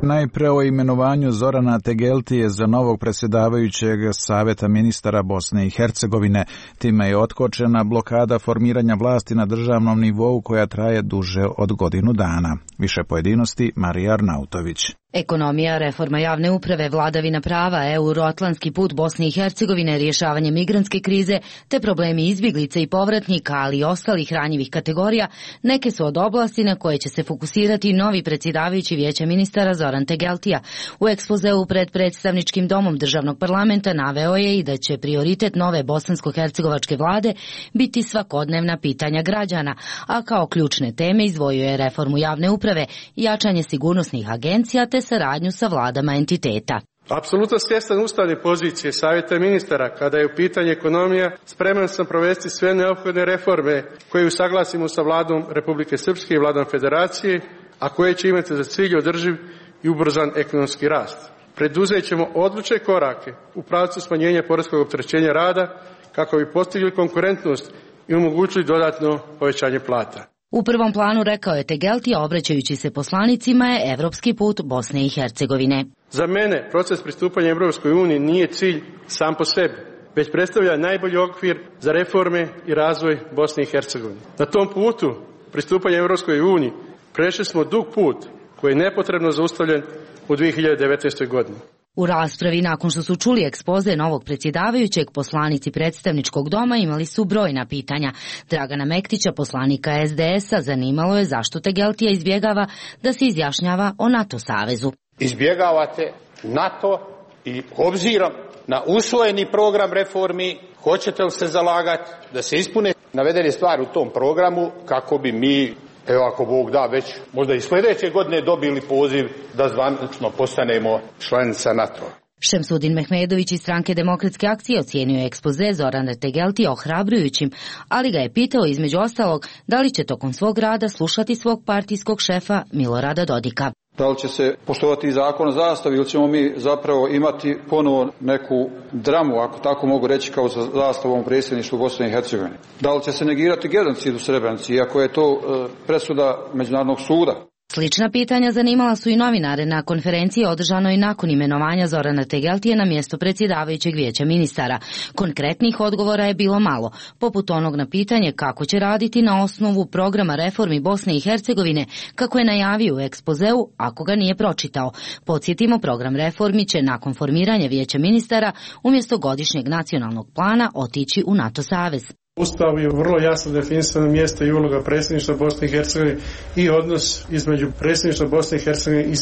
Najpre o imenovanju Zorana Tegeltije za novog predsjedavajućeg saveta ministara Bosne i Hercegovine. Time je otkočena blokada formiranja vlasti na državnom nivou koja traje duže od godinu dana. Više pojedinosti Marija Arnautović. Ekonomija, reforma javne uprave, vladavina prava, euroatlantski put Bosne i Hercegovine, rješavanje migrantske krize te problemi izbjeglica i povratnika, ali i ostalih ranjivih kategorija, neke su od oblasti na koje će se fokusirati novi predsjedavajući Vijeća ministara Zoran Tegeltija. U ekspozeu pred predstavničkim domom državnog parlamenta naveo je i da će prioritet nove bosansko-hercegovačke vlade biti svakodnevna pitanja građana, a kao ključne teme izdvojio je reformu javne uprave, jačanje sigurnosnih agencija te saradnju sa vladama entiteta. Apsolutno svjestan ustavne pozicije Savjeta ministara kada je u pitanju ekonomija, spreman sam provesti sve neophodne reforme koje usaglasimo sa vladom Republike Srpske i vladom Federacije, a koje će imati za cilj održiv i ubrzan ekonomski rast. Preduzet ćemo odlučne korake u pravcu smanjenja poreskog opterećenja rada kako bi postigli konkurentnost i omogućili dodatno povećanje plata. U prvom planu, rekao je Tegeltija, obraćajući se poslanicima, je evropski put Bosne i Hercegovine. Za mene proces pristupanja Europskoj uniji nije cilj sam po sebi, već predstavlja najbolji okvir za reforme i razvoj Bosne i Hercegovine. Na tom putu pristupanja Europskoj uniji prešli smo dug put koji je nepotrebno zaustavljen u 2019. godini. U raspravi nakon što su čuli ekspoze novog predsjedavajućeg, poslanici predstavničkog doma imali su brojna pitanja. Dragana Mektića, poslanika SDS-a, zanimalo je zašto Tegeltija izbjegava da se izjašnjava o NATO savezu. Izbjegavate NATO i obzirom na usvojeni program reformi, hoćete li se zalagati da se ispune navedene stvari u tom programu kako bi mi, evo ako Bog da, već možda i sljedeće godine dobili poziv da zvanično postanemo članica NATO. Šemsudin Mehmedović iz stranke Demokratske akcije ocijenio je ekspoze Zorana Tegeltija ohrabrujućim, ali ga je pitao između ostalog da li će tokom svog rada slušati svog partijskog šefa Milorada Dodika. Da li će se poštovati zakon o zastavi ili ćemo mi zapravo imati ponovo neku dramu, ako tako mogu reći, kao sa zastavom u predsjedništvu Bosne i Hercegovine? Da li će se negirati genocid u Srebrenici, iako je to presuda Međunarodnog suda? Slična pitanja zanimala su i novinare na konferenciji održanoj nakon imenovanja Zorana Tegeltije na mjesto predsjedavajućeg vijeća ministara. Konkretnih odgovora je bilo malo, poput onog na pitanje kako će raditi na osnovu programa reformi Bosne i Hercegovine, kako je najavio u ekspozeu ako ga nije pročitao. Podsjetimo, program reformi će nakon formiranja vijeća ministara umjesto godišnjeg nacionalnog plana otići u NATO savez. Ustav je vrlo jasno definisano mjesto i uloga predsjedništva Bosne i Hercegovine i odnos između predsjedništva Bosne i Hercegovine i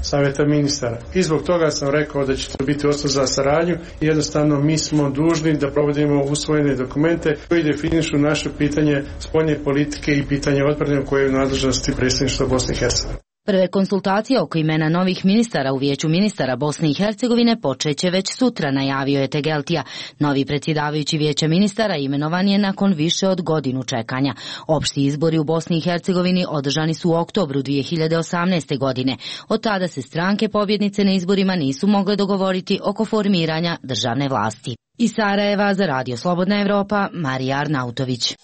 savjeta ministara. I zbog toga sam rekao da će to biti osnov za saradnju i jednostavno mi smo dužni da provodimo usvojene dokumente koji definišu naše pitanje spoljne politike i pitanje odbrane koje je u nadležnosti predsjedništva Bosne i Hercegovine. Prve konsultacije oko imena novih ministara u vijeću ministara Bosne i Hercegovine počeće već sutra, najavio je Tegeltija. Novi predsjedavajući vijeća ministara imenovan je nakon više od godinu čekanja. Opšti izbori u Bosni i Hercegovini održani su u oktobru 2018. godine. Od tada se stranke pobjednice na izborima nisu mogle dogovoriti oko formiranja državne vlasti. Iz Sarajeva za Radio Slobodna Evropa, Marija Arnautović.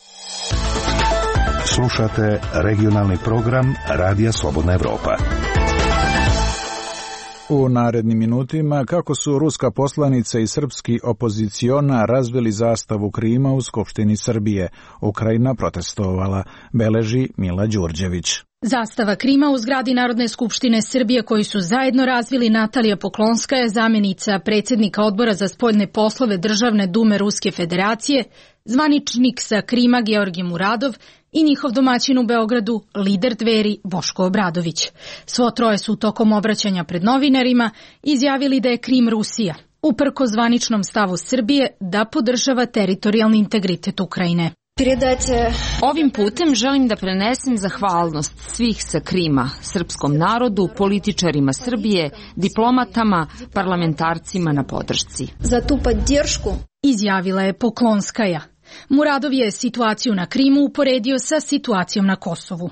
Slušate regionalni program Radija Slobodna Evropa. U narednim minutima kako su ruska poslanica i srpski opoziciona razvili zastavu Krima u Skupštini Srbije. Ukrajina protestovala, beleži Mila Đurđević. Zastava Krima u zgradi Narodne skupštine Srbije koju su zajedno razvili Natalija Poklonskaja, zamjenica predsjednika Odbora za spoljne poslove Državne dume Ruske federacije, zvaničnik sa Krima Georgij Muradov i njihov domaćin u Beogradu, lider Dveri Boško Obradović. Svo troje su tokom obraćanja pred novinarima izjavili da je Krim Rusija, uprko zvaničnom stavu Srbije da podržava teritorijalni integritet Ukrajine. Ovim putem želim da prenesem zahvalnost svih sa Krima, srpskom narodu, političarima Srbije, diplomatama, parlamentarcima na podršci. Za tu podršku izjavila je Poklonskaja. Muradov je situaciju na Krimu uporedio sa situacijom na Kosovu.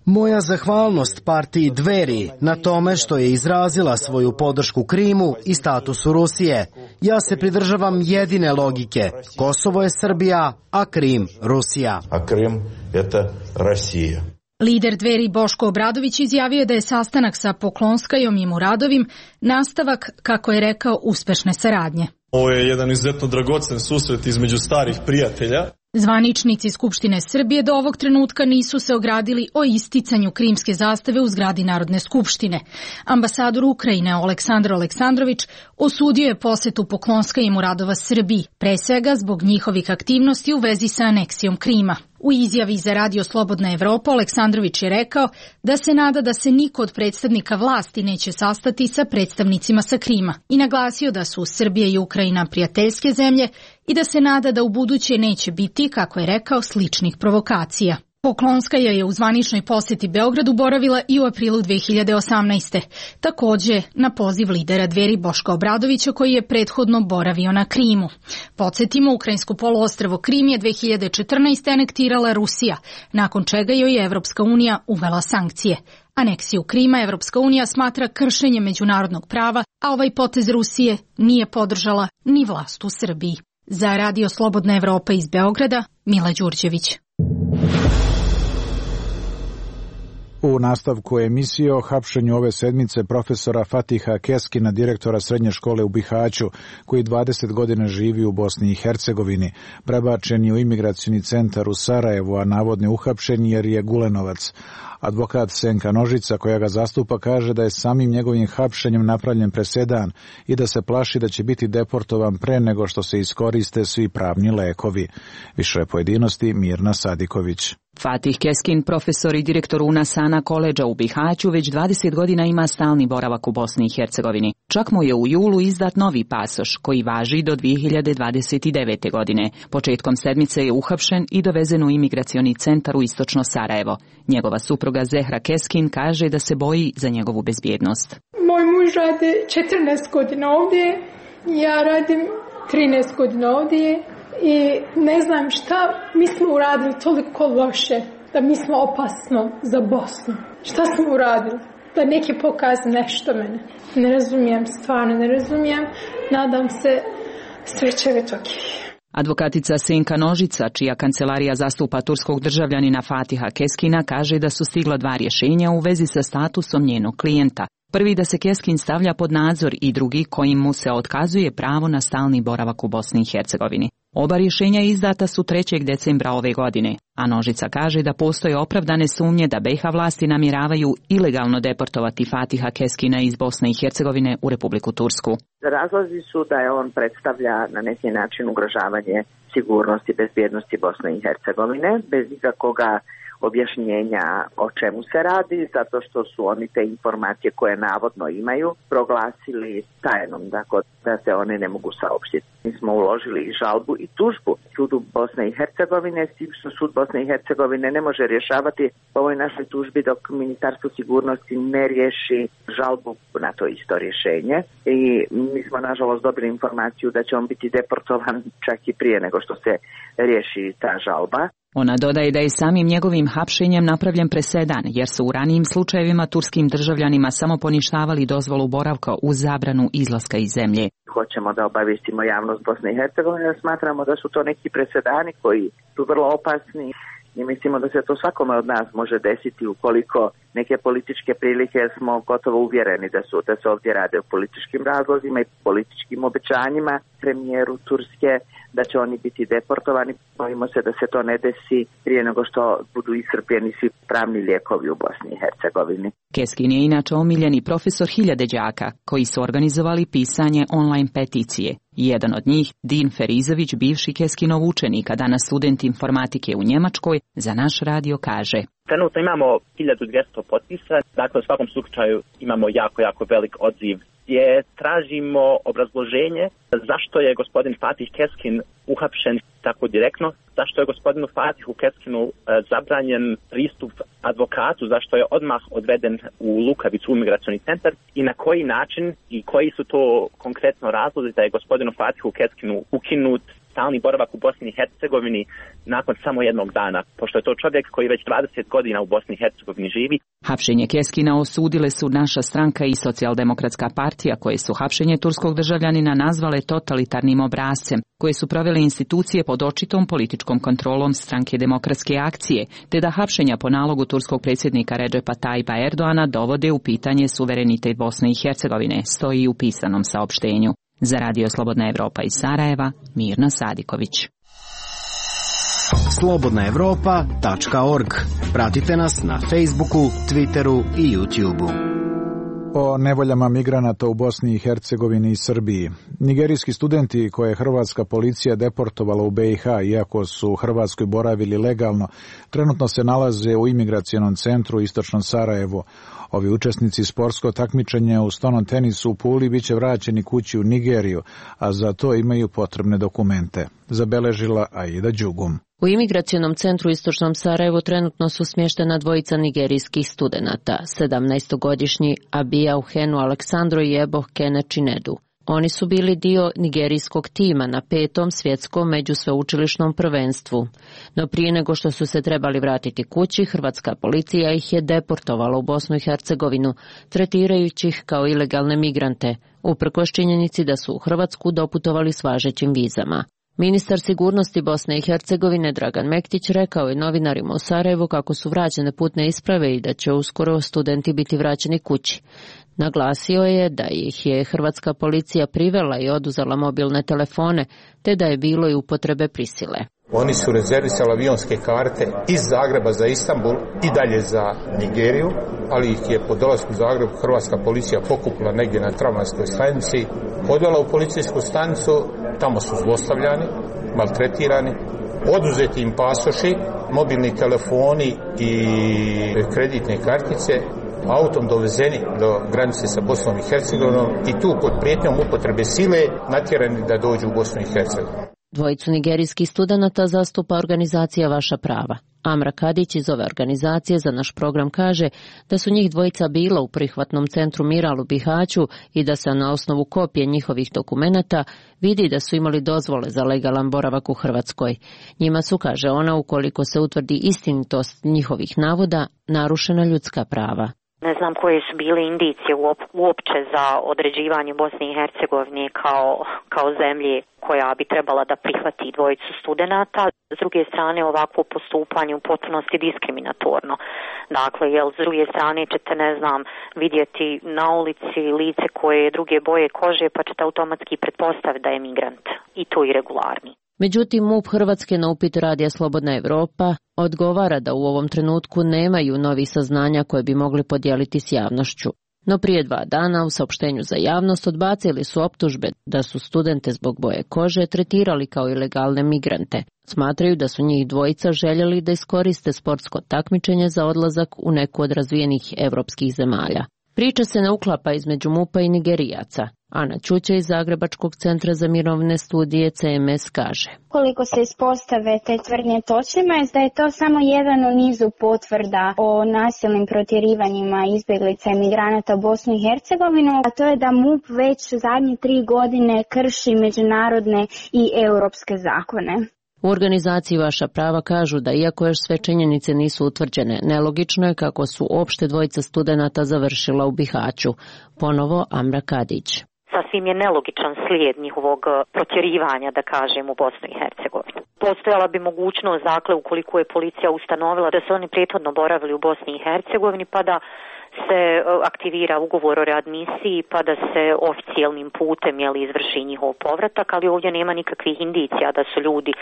Moja zahvalnost partiji Dveri na tome što je izrazila svoju podršku Krimu i statusu Rusije. Ja se pridržavam jedine logike. Kosovo je Srbija, a Krim Rusija. A Krim je Rusija. Lider Dveri Boško Obradović izjavio je da je sastanak sa Poklonskajom i Muradovim nastavak, kako je rekao, uspešne saradnje. Ovo je jedan izuzetno dragocen susret između starih prijatelja. Zvaničnici Skupštine Srbije do ovog trenutka nisu se ogradili o isticanju krimske zastave u zgradi Narodne skupštine. Ambasador Ukrajine Aleksandar Aleksandrović osudio je posetu Poklonska i Muradova Srbiji, pre svega zbog njihovih aktivnosti u vezi sa aneksijom Krima. U izjavi za Radio Slobodna Evropa Aleksandrović je rekao da se nada da se niko od predstavnika vlasti neće sastati sa predstavnicima sa Krima i naglasio da su Srbija i Ukrajina prijateljske zemlje i da se nada da u buduće neće biti, kako je rekao, sličnih provokacija. Poklonskaja je u zvaničnoj posjeti Beogradu boravila i u aprilu 2018. Takođe na poziv lidera Dveri Boška Obradovića koji je prethodno boravio na Krimu. Podsjetimo, ukrajinsko poluostrvo Krim je 2014. anektirala Rusija, nakon čega joj je Evropska unija uvela sankcije. Aneksiju Krima Evropska unija smatra kršenjem međunarodnog prava, a ovaj potez Rusije nije podržala ni vlast u Srbiji. Za Radio Slobodna Evropa iz Beograda, Mila Đurđević. U nastavku emisije o hapšenju ove sedmice profesora Fatiha Keskina, direktora srednje škole u Bihaću, koji 20 godina živi u Bosni i Hercegovini, prebačen je u imigracioni centar u Sarajevu, a navodno je uhapšen jer je Gulenovac. Advokat Senka Nožica, koja ga zastupa, kaže da je samim njegovim hapšenjem napravljen presedan i da se plaši da će biti deportovan pre nego što se iskoriste svi pravni lekovi. Više pojedinosti Mirna Sadiković. Fatih Keskin, profesor i direktor Unasana koledža u Bihaću, već 20 godina ima stalni boravak u Bosni i Hercegovini. Čak mu je u julu izdat novi pasoš, koji važi do 2029. godine. Početkom sedmice je uhapšen i dovezen u imigracioni centar u istočno Sarajevo. Njegova supruga Zehra Keskin kaže da se boji za njegovu bezbjednost. Moj muž radi 14 godina ovdje, ja radim 13 godina ovdje. I ne znam šta mi smo uradili toliko loše, da mi smo opasno za Bosnu. Šta smo uradili? Da neki pokaze nešto mene. Ne razumijem, stvarno ne razumijem. Nadam se sve će biti ok. Advokatica Senka Nožica, čija kancelarija zastupa turskog državljanina Fatiha Keskina, kaže da su stigla 2 rješenja u vezi sa statusom njenog klijenta. Prvi da se Keskin stavlja pod nadzor i drugi kojim mu se otkazuje pravo na stalni boravak u Bosni i Hercegovini. Oba rješenja izdata su 3. decembra ove godine, a Nožica kaže da postoje opravdane sumnje da BiH vlasti namjeravaju ilegalno deportovati Fatiha Keskina iz Bosne i Hercegovine u Republiku Tursku. Razlozi su da je on predstavlja na neki način ugrožavanje sigurnosti i bezbjednosti Bosne i Hercegovine, bez ikakvoga objašnjenja o čemu se radi, zato što su oni te informacije koje navodno imaju proglasili tajnom, dakle da se one ne mogu saopštiti. Mi smo uložili i žalbu i tužbu sudu Bosne i Hercegovine, s tim što sud Bosne i Hercegovine ne može rješavati ovoj našoj tužbi dok Ministarstvo sigurnosti ne riješi žalbu na to isto rješenje. I mi smo nažalost dobili informaciju da će on biti deportovan čak i prije nego što se riješi ta žalba. Ona dodaje da je samim njegovim hapšenjem napravljen presedan, jer su u ranijim slučajevima turskim državljanima samo poništavali dozvolu boravka uz zabranu izlaska iz zemlje. Hoćemo da obavistimo javnost Bosne i Hercegovine, smatramo da su to neki presedani koji su vrlo opasni i mislimo da se to svakome od nas može desiti ukoliko neke političke prilike, smo gotovo uvjereni da se ovdje rade o političkim razlozima i političkim obećanjima premijeru Turske da će oni biti deportovani. Bojimo se da se to ne desi prije nego što budu iscrpljeni svi pravni lijekovi u Bosni i Hercegovini. Keskin je inače omiljeni profesor hiljade đaka koji su organizovali pisanje online peticije. Jedan od njih, Din Ferizović, bivši Keskinov učenik, a danas student informatike u Njemačkoj, za naš radio kaže: Trenutno imamo 1200 potpisa, dakle u svakom slučaju imamo jako velik odziv gdje tražimo obrazloženje zašto je gospodin Fatih Keskin uhapšen tako direktno, zašto je gospodinu Fatihu Keskinu zabranjen pristup advokatu, zašto je odmah odveden u Lukavicu u imigracioni centar i na koji način i koji su to konkretno razlozi da je gospodinu Fatihu Keskinu ukinut stalni boravak u Bosni i Hercegovini nakon samo jednog dana, pošto je to čovjek koji već 20 godina u Bosni i Hercegovini živi. Hapšenje Keskina osudile su naša stranka i Socijaldemokratska partija, koje su hapšenje turskog državljanina nazvale totalitarnim obrascem, koje su provele institucije pod očitom političkom kontrolom Stranke demokratske akcije, te da hapšenja po nalogu turskog predsjednika Redžepa Tajipa Erdoana dovode u pitanje suverenitet Bosne i Hercegovine, stoji u pisanom saopštenju. Za Radio Slobodna Evropa iz Sarajeva, Mirna Sadiković. slobodnaevropa.org. Pratite nas na Facebooku, Twitteru i YouTubeu. O nevoljama migranata u Bosni i Hercegovini i Srbiji. Nigerijski studenti koje je hrvatska policija deportovala u BiH, iako su u Hrvatskoj boravili legalno, trenutno se nalaze u imigracionom centru u istočnom Sarajevu. Ovi učesnici sportskog takmičenja u stonom tenisu u Puli biće vraćeni kući u Nigeriju, a za to imaju potrebne dokumente. Zabeležila Aida Đugum. U imigracionom centru u istočnom Sarajevu trenutno su smještena dvojica nigerijskih studenata, 17-godišnji Abija Uhenu Aleksandro i Eboh Kene Chinedu. Oni su bili dio nigerijskog tima na 5. svjetskom međusveučilišnom prvenstvu. No prije nego što su se trebali vratiti kući, hrvatska policija ih je deportovala u Bosnu i Hercegovinu, tretirajući ih kao ilegalne migrante, uprkos činjenici da su u Hrvatsku doputovali s važećim vizama. Ministar sigurnosti Bosne i Hercegovine Dragan Mektić rekao je novinarima u Sarajevu kako su vraćene putne isprave i da će uskoro studenti biti vraćeni kući. Naglasio je da ih je hrvatska policija privela i oduzela mobilne telefone, te da je bilo i upotrebe prisile. Oni su rezervisali avionske karte iz Zagreba za Istanbul i dalje za Nigeriju, ali ih je po dolasku u Zagreb hrvatska policija pokupila negdje na tramvajskoj stanici, odvela u policijsku stanicu, tamo su zlostavljani, maltretirani, oduzeti im pasoši, mobilni telefoni i kreditne kartice, autom dovezeni do granice sa Bosnom i Hercegovinom i tu pod prijetnjom upotrebe sile natjerani da dođu u Bosnu i Hercegovinu. Dvojicu nigerijskih studenata zastupa organizacija Vaša prava. Amra Kadić iz ove organizacije za naš program kaže da su njih dvojica bila u prihvatnom centru Miral u Bihaću i da se na osnovu kopije njihovih dokumenata vidi da su imali dozvole za legalan boravak u Hrvatskoj. Njima su, kaže ona, ukoliko se utvrdi istinitost njihovih navoda, narušena ljudska prava. Ne znam koje su bile indicije uopće za određivanje Bosne i Hercegovine kao zemlje koja bi trebala da prihvati dvojicu studenata. S druge strane, ovakvo postupanje u potpunosti diskriminatorno. Dakle, s druge strane ćete, vidjeti na ulici lice koje je druge boje kože, pa ćete automatski pretpostaviti da je migrant i to irregularni. Međutim, MUP Hrvatske na upit Radija Slobodna Evropa odgovara da u ovom trenutku nemaju novih saznanja koje bi mogli podijeliti s javnošću. No prije 2 dana u saopštenju za javnost odbacili su optužbe da su studente zbog boje kože tretirali kao ilegalne migrante. Smatraju da su njih dvojica željeli da iskoriste sportsko takmičenje za odlazak u neku od razvijenih evropskih zemalja. Priča se ne uklapa između MUP-a i Nigerijaca. Ana Ćuća iz Zagrebačkog centra za mirovne studije CMS kaže. Koliko se ispostave te tvrdnje točnima je da je to samo jedan u nizu potvrda o nasilnim protjerivanjima izbjeglica i migranata u Bosnu i Hercegovinu, a to je da MUP već zadnje 3 godine krši međunarodne i europske zakone. U organizaciji Vaša prava kažu da iako još sve činjenice nisu utvrđene, nelogično je kako su opšte dvojica studenata završila u Bihaću. Ponovo Amra Kadić. Sasvim je nelogičan slijed njihovog protjerivanja, da kažem, u Bosnu i Hercegovinu. Postojala bi mogućnost, dakle, ukoliko je policija ustanovila da su oni prethodno boravili u Bosni i Hercegovini, pa da se aktivira ugovor o readmisiji, pa da se oficijelnim putem izvrši njihov povratak, ali ovdje nema nikakvih indicija da su ljudi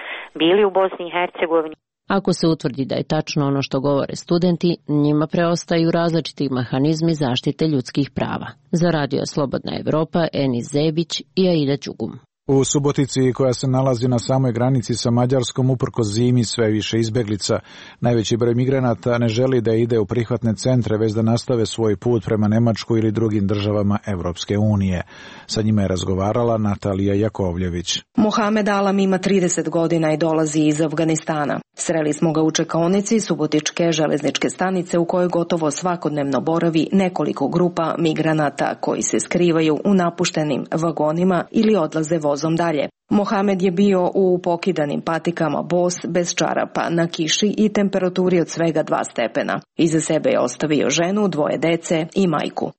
bili u Bosni i Hercegovini. Ako se utvrdi da je tačno ono što govore studenti, njima preostaju različiti mehanizmi zaštite ljudskih prava. Za Radio Slobodna Evropa, Enis Zebić i Aida Đugum. U Subotici, koja se nalazi na samoj granici sa Mađarskom, uprkos zimi sve više izbeglica. Najveći broj migranata ne želi da ide u prihvatne centre, već da nastave svoj put prema Nemačkoj ili drugim državama Evropske unije. Sa njima je razgovarala Natalija Jakovljević. Mohamed Alam ima 30 godina i dolazi iz Afganistana. Sreli smo ga u čekaonici Subotičke železničke stanice u kojoj gotovo svakodnevno boravi nekoliko grupa migranata koji se skrivaju u napuštenim vagonima ili odlaze vozom dalje. Mohamed je bio u pokidanim patikama bos, bez čarapa, na kiši i temperaturi od svega 2 stepena. Iza sebe je ostavio ženu, 2 dece i majku.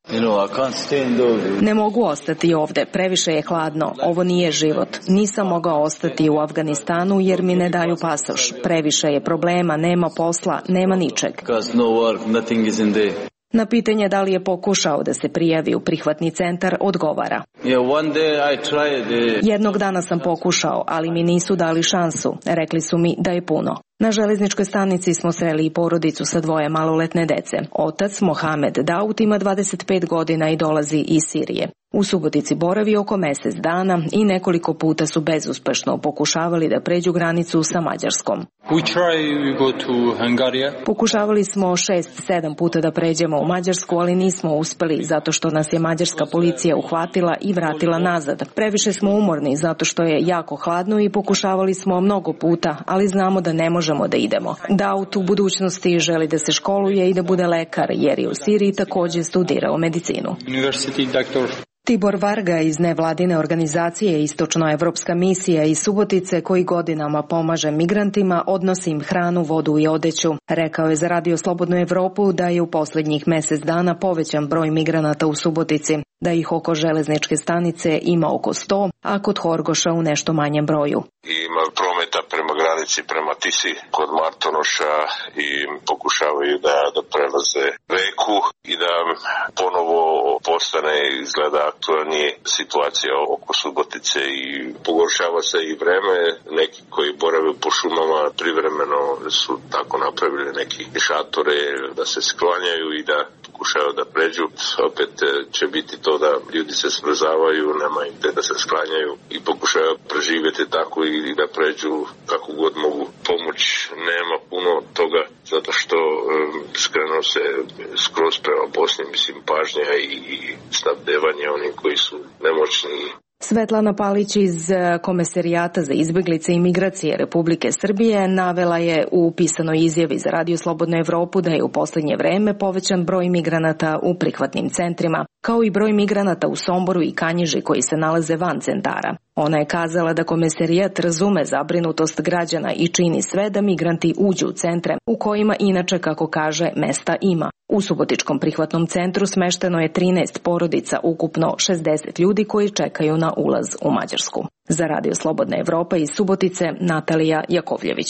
Ne mogu ostati ovde, previše je hladno, ovo nije život. Nisam mogao ostati u Afganistanu jer mi ne daju pasoš. Previše je problema, nema posla, nema ničeg. Na pitanje da li je pokušao da se prijavi u prihvatni centar, odgovara. Jednog dana sam pokušao, ali mi nisu dali šansu. Rekli su mi da je puno. Na železničkoj stanici smo sreli i porodicu sa 2 maloletne dece. Otac, Mohamed Daud, ima 25 godina i dolazi iz Sirije. U Subotici boravi oko mjesec dana i nekoliko puta su bezuspešno pokušavali da pređu granicu sa Mađarskom. Pokušavali smo 6-7 puta da pređemo u Mađarsku, ali nismo uspeli zato što nas je mađarska policija uhvatila i vratila nazad. Previše smo umorni zato što je jako hladno i pokušavali smo mnogo puta, ali znamo da ne možemo da idemo. Daud u budućnosti želi da se školuje i da bude lekar, jer je u Siriji također studirao medicinu. Tibor Varga iz nevladine organizacije Istočnoevropska misija iz Subotice, koji godinama pomaže migrantima, odnosi im hranu, vodu i odeću. Rekao je za Radio Slobodnu Evropu da je u posljednjih mjesec dana povećan broj migranata u Subotici, da ih oko železničke stanice ima oko 100, a kod Horgoša u nešto manjem broju. I ima prometa prema granici, prema Tisi kod Martonoša i pokušavaju da prelaze reku i da ponovo postane izgleda aktualnije situacija oko Subotice i pogoršava se i vreme. Neki koji borave po šumama privremeno su tako napravili neki šatore da se sklanjaju i da pokušaju da pređu. Opet će biti to da ljudi se smrzavaju, nema im gde da se sklanjaju i pokušaju preživjeti tako i da pređu kako god mogu. Pomoć nema puno toga zato što skrenuo se skroz prema Bosni, mislim, pažnja i snabdevanje onim koji su nemoćni. Svetlana Palić iz Komesarijata za izbjeglice i migracije Republike Srbije navela je u pisanoj izjavi za Radio Slobodnu Evropu da je u posljednje vreme povećan broj migranata u prihvatnim centrima, kao i broj migranata u Somboru i Kanjiži koji se nalaze van centara. Ona je kazala da Komesarijat razume zabrinutost građana i čini sve da migranti uđu u centre, u kojima inače, kako kaže, mesta ima. U Subotičkom prihvatnom centru smešteno je 13 porodica, ukupno 60 ljudi koji čekaju na ulaz u Mađarsku. Za Radio Slobodna Evropa iz Subotice, Natalija Jakovljević.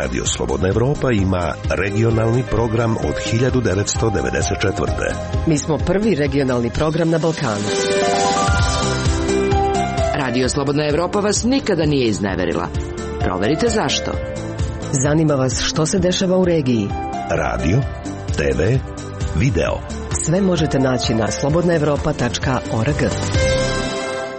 Radio Slobodna Evropa ima regionalni program od 1994. Mi smo prvi regionalni program na Balkanu. Radio Slobodna Evropa vas nikada nije izneverila. Proverite zašto. Zanima vas što se dešava u regiji. Radio, TV, video. Sve možete naći na slobodnaevropa.org.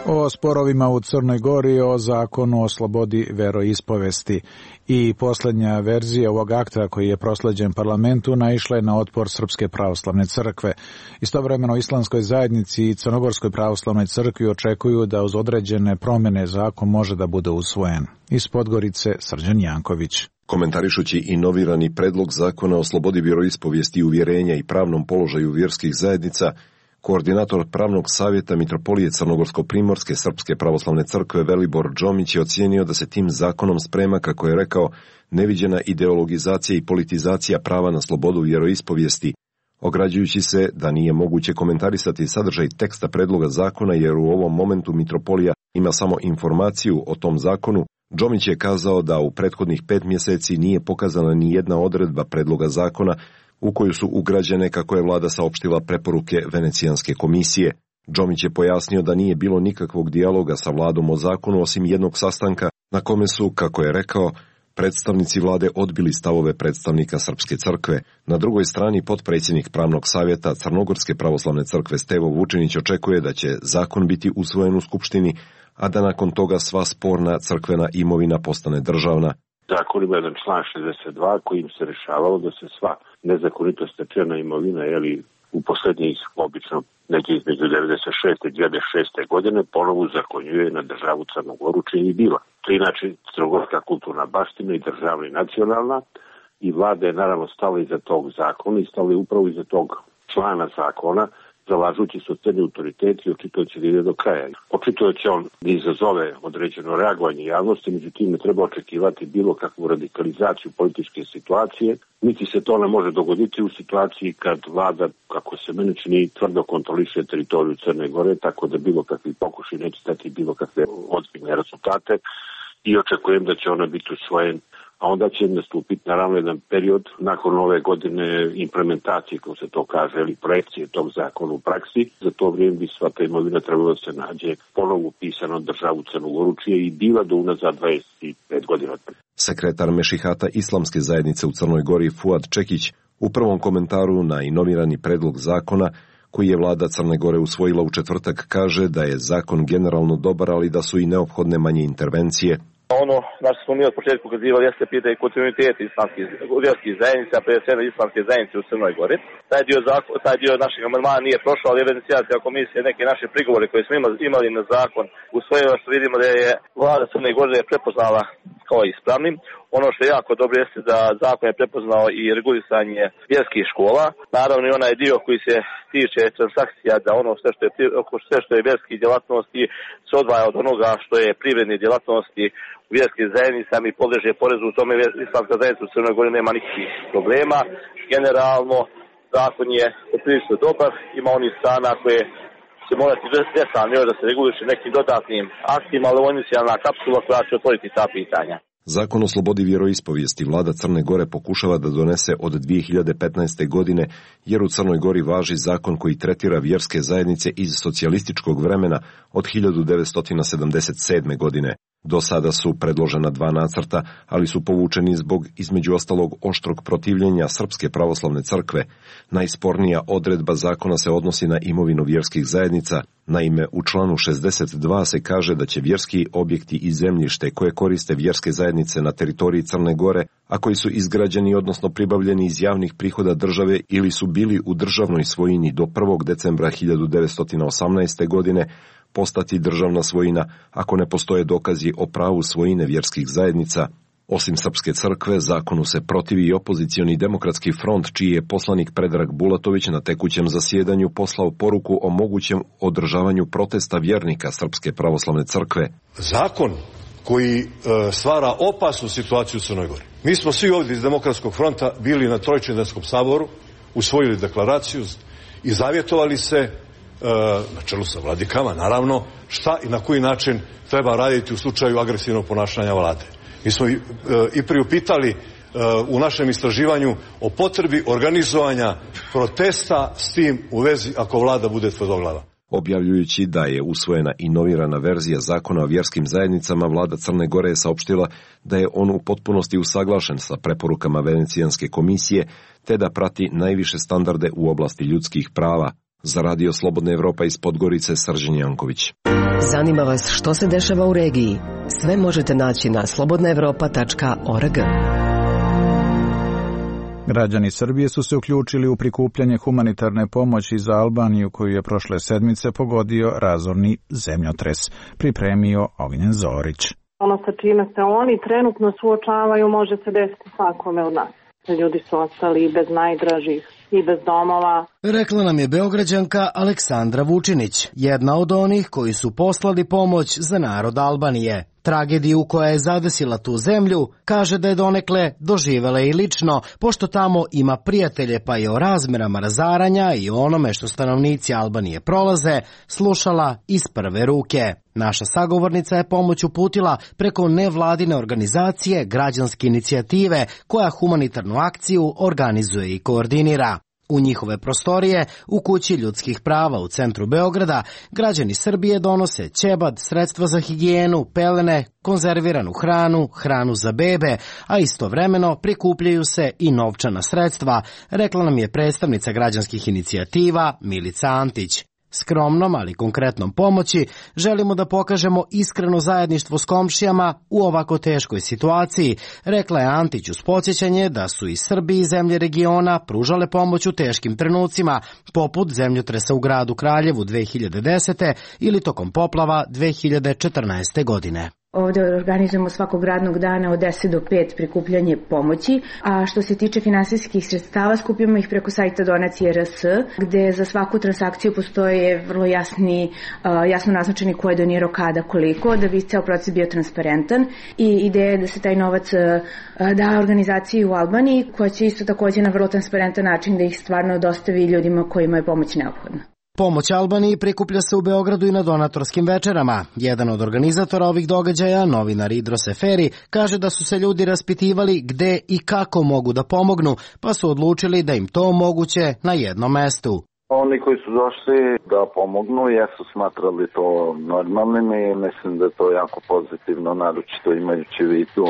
O sporovima u Crnoj Gori, o zakonu o slobodi veroispovesti. I posljednja verzija ovog akta koji je prosleđen parlamentu naišla je na otpor Srpske pravoslavne crkve. Istovremeno Islamskoj zajednici i Crnogorskoj pravoslavnoj crkvi očekuju da uz određene promjene zakon može da bude usvojen. Iz Podgorice Srđan Janković. Komentarišući inovirani predlog zakona o slobodi vjeroispovijesti i uvjerenja i pravnom položaju vjerskih zajednica, koordinator pravnog savjeta Mitropolije Crnogorsko-primorske Srpske pravoslavne crkve Velibor Džomić je ocijenio da se tim zakonom sprema, kako je rekao, neviđena ideologizacija i politizacija prava na slobodu vjeroispovijesti, ograđujući se da nije moguće komentarisati sadržaj teksta predloga zakona jer u ovom momentu Mitropolija ima samo informaciju o tom zakonu. Džomić je kazao da u prethodnih 5 mjeseci nije pokazana ni jedna odredba predloga zakona u koju su ugrađene, kako je vlada saopštila, preporuke Venecijanske komisije. Džomić je pojasnio da nije bilo nikakvog dijaloga sa vladom o zakonu osim jednog sastanka na kome su, kako je rekao, predstavnici vlade odbili stavove predstavnika Srpske crkve. Na drugoj strani potpredsjednik pravnog savjeta Crnogorske pravoslavne crkve Stevo Vučinić očekuje da će zakon biti usvojen u Skupštini, a da nakon toga sva sporna crkvena imovina postane državna. Zakon ima jedan član 62 kojim se rešavalo da se sva nezakonito stečena imovina, u posljednjih obično negdje između 96. i 2006. godine ponovo zakonjuje na državu Crnu Goru, čini i bila. To je inače crnogorska kulturna baština i državna i nacionalna, i vlada je naravno stala iza tog zakona i stala je upravo iza tog člana zakona, zalažući se od autoritet i očitujući da ide do kraja. Očitujući on da izazove određeno reagovanje javnosti, međutim ne treba očekivati bilo kakvu radikalizaciju političke situacije, niti se to ne može dogoditi u situaciji kad vlada, kako se meni čini, tvrdo kontroliše teritoriju Crne Gore, tako da bilo kakvi pokušaj neće dati bilo kakve ozbiljne rezultate i očekujem da će ona biti usvojen. A onda će nastupiti naravno jedan period nakon ove godine implementacije, kako se to kaže, ili projekcije tog zakona u praksi. Za to vrijeme bi sva ta imovina trebalo da se nađe ponovo upisano državu Crnu Goru, čija je i bila do unazad 25 godina. Sekretar Mešihata Islamske zajednice u Crnoj Gori Fuad Čekić u prvom komentaru na inovirani predlog zakona koji je vlada Crne Gore usvojila u četvrtak kaže da je zakon generalno dobar, ali da su i neophodne manje intervencije. Ono na što smo mi od početka ukazivali jeste pitanje kontinuiteta islamskih vjerskih zajednica, prije svega islamske zajednice u Crnoj Gori. Taj dio našeg amandmana nije prošao, ali Venecijanska komisija neke naše prigovore koje smo imali na zakon usvojila, što vidimo da je vlada Crne Gore prepoznala kao ispravnim. Ono što je jako dobro jeste da zakon je prepoznao i regulisanje vjerskih škola. Naravno i onaj dio koji se tiče transakcija, da ono sve što je vjerskih djelatnosti se odvaja od onoga što je privredne djelatnosti u vjerskim zajednicama i podleže porezu. U tome islamska zajednica u Crnoj Gori nema nikakvih problema. Generalno zakon je prilično dobar, ima onih strana koje će morati detaljno da se reguliše nekim dodatnim aktima, ali ovo je inicijalna kapsula koja će otvoriti ta pitanja. Zakon o slobodi vjeroispovijesti vlada Crne Gore pokušava da donese od 2015. godine, jer u Crnoj Gori važi zakon koji tretira vjerske zajednice iz socijalističkog vremena od 1977. godine. Do sada su predložena 2 nacrta, ali su povučeni zbog, između ostalog, oštrog protivljenja Srpske pravoslavne crkve. Najspornija odredba zakona se odnosi na imovinu vjerskih zajednica. Naime, u članu 62 se kaže da će vjerski objekti i zemljište koje koriste vjerske zajednice na teritoriji Crne Gore, a koji su izgrađeni odnosno pribavljeni iz javnih prihoda države ili su bili u državnoj svojini do 1. decembra 1918. godine, postati državna svojina ako ne postoje dokazi o pravu svojine vjerskih zajednica. Osim Srpske crkve, zakonu se protivi i opozicioni demokratski front, čiji je poslanik Predrag Bulatović na tekućem zasjedanju poslao poruku o mogućem održavanju protesta vjernika Srpske pravoslavne crkve. Zakon koji stvara opasnu situaciju u Crnoj Gori. Mi smo svi ovdje iz Demokratskog fronta bili na Trojčindanskom saboru, usvojili deklaraciju i zavjetovali se na čelu sa vladikama, naravno, šta i na koji način treba raditi u slučaju agresivnog ponašanja vlade. Mi smo i priupitali u našem istraživanju o potrebi organizovanja protesta s tim u vezi ako vlada bude tvrdoglava. Objavljujući da je usvojena i novirana verzija zakona o vjerskim zajednicama, vlada Crne Gore je saopštila da je on u potpunosti usaglašen sa preporukama Venecijanske komisije, te da prati najviše standarde u oblasti ljudskih prava. Za Radio Slobodna Evropa iz Podgorice, Srđan Janković. Zanima vas što se dešava u regiji? Sve možete naći na slobodnaevropa.org. Građani Srbije su se uključili u prikupljanje humanitarne pomoći za Albaniju, koju je prošle sedmice pogodio razorni zemljotres. Pripremio Ognjen Zorić. Ono sa čime se oni trenutno suočavaju može se desiti svakome od nas. Ljudi su ostali bez najdražih i bez domova. Rekla nam je Beograđanka Aleksandra Vučinić, jedna od onih koji su poslali pomoć za narod Albanije. Tragediju koja je zadesila tu zemlju kaže da je donekle doživela i lično, pošto tamo ima prijatelje, pa je o razmerama razaranja i onome što stanovnici Albanije prolaze slušala iz prve ruke. Naša sagovornica je pomoć uputila preko nevladine organizacije Građanske inicijative, koja humanitarnu akciju organizuje i koordinira. U njihove prostorije, u Kući ljudskih prava u centru Beograda, građani Srbije donose ćebad, sredstva za higijenu, pelene, konzerviranu hranu, hranu za bebe, a istovremeno prikupljaju se i novčana sredstva, rekla nam je predstavnica građanskih inicijativa Milica Antić. Skromnom, ali konkretnom pomoći želimo da pokažemo iskreno zajedništvo s komšijama u ovako teškoj situaciji, rekla je Antić uz podsjećanje da su i Srbi i zemlje regiona pružale pomoć u teškim trenucima, poput zemljotresa u gradu Kraljevu 2010. ili tokom poplava 2014. godine. Ovdje organizujemo svakog radnog dana od 10 do 5 prikupljanje pomoći, a što se tiče finansijskih sredstava skupimo ih preko sajta Donacije RS, gde za svaku transakciju postoje vrlo jasno naznačeni ko je donirao kada, koliko, da bi ceo proces bio transparentan, i ideja je da se taj novac da organizaciji u Albaniji, koja će isto također na vrlo transparentan način da ih stvarno dostavi ljudima kojima je pomoć neophodna. Pomoć Albaniji prikuplja se u Beogradu i na donatorskim večerama. Jedan od organizatora ovih događaja, novinar Idro Seferi, kaže da su se ljudi raspitivali gde i kako mogu da pomognu, pa su odlučili da im to omoguće na jednom mestu. Oni koji su došli da pomognu jesu smatrali to normalnim i mislim da je to jako pozitivno, naročito imajući u vidu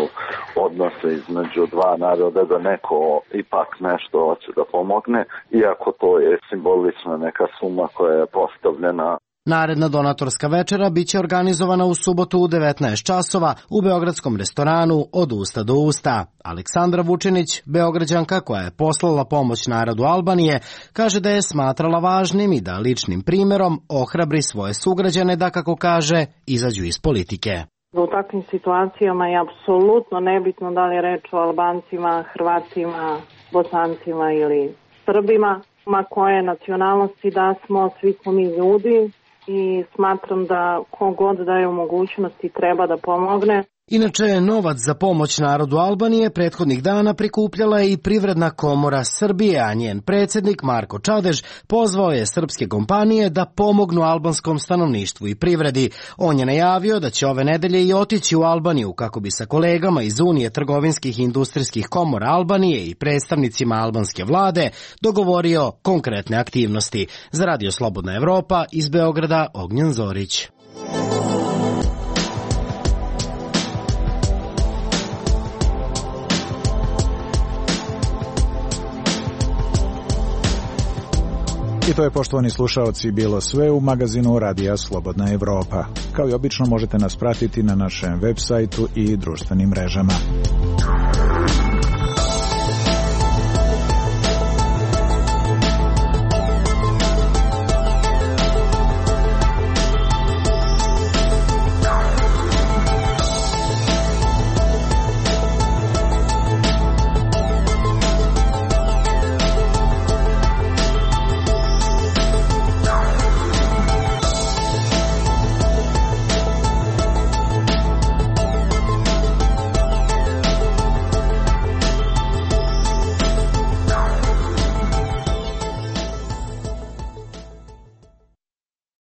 odnose između dva naroda, da neko ipak nešto hoće da pomogne, iako to je simbolična neka suma koja je postavljena. Naredna donatorska večera biće organizovana u subotu u 19 časova u beogradskom restoranu Od usta do usta. Aleksandra Vučinić, Beograđanka koja je poslala pomoć narodu Albanije, kaže da je smatrala važnim i da ličnim primjerom ohrabri svoje sugrađane da, kako kaže, izađu iz politike. U takvim situacijama je apsolutno nebitno da li je reč o Albancima, Hrvatima, Bosancima ili Srbima, ma koje nacionalnosti da smo, svi smo mi ljudi. I smatram da kogod daje mogućnosti treba da pomogne. Inače, novac za pomoć narodu Albanije prethodnih dana prikupljala je i Privredna komora Srbije, a njen predsjednik Marko Čadež pozvao je srpske kompanije da pomognu albanskom stanovništvu i privredi. On je najavio da će ove nedelje i otići u Albaniju kako bi sa kolegama iz Unije trgovinskih i industrijskih komora Albanije i predstavnicima albanske vlade dogovorio konkretne aktivnosti. Za Radio Slobodna Evropa iz Beograda, Ognjen Zorić. I to je, poštovani slušaoci, bilo sve u magazinu Radija Slobodna Evropa. Kao i obično možete nas pratiti na našem web sajtu i društvenim mrežama.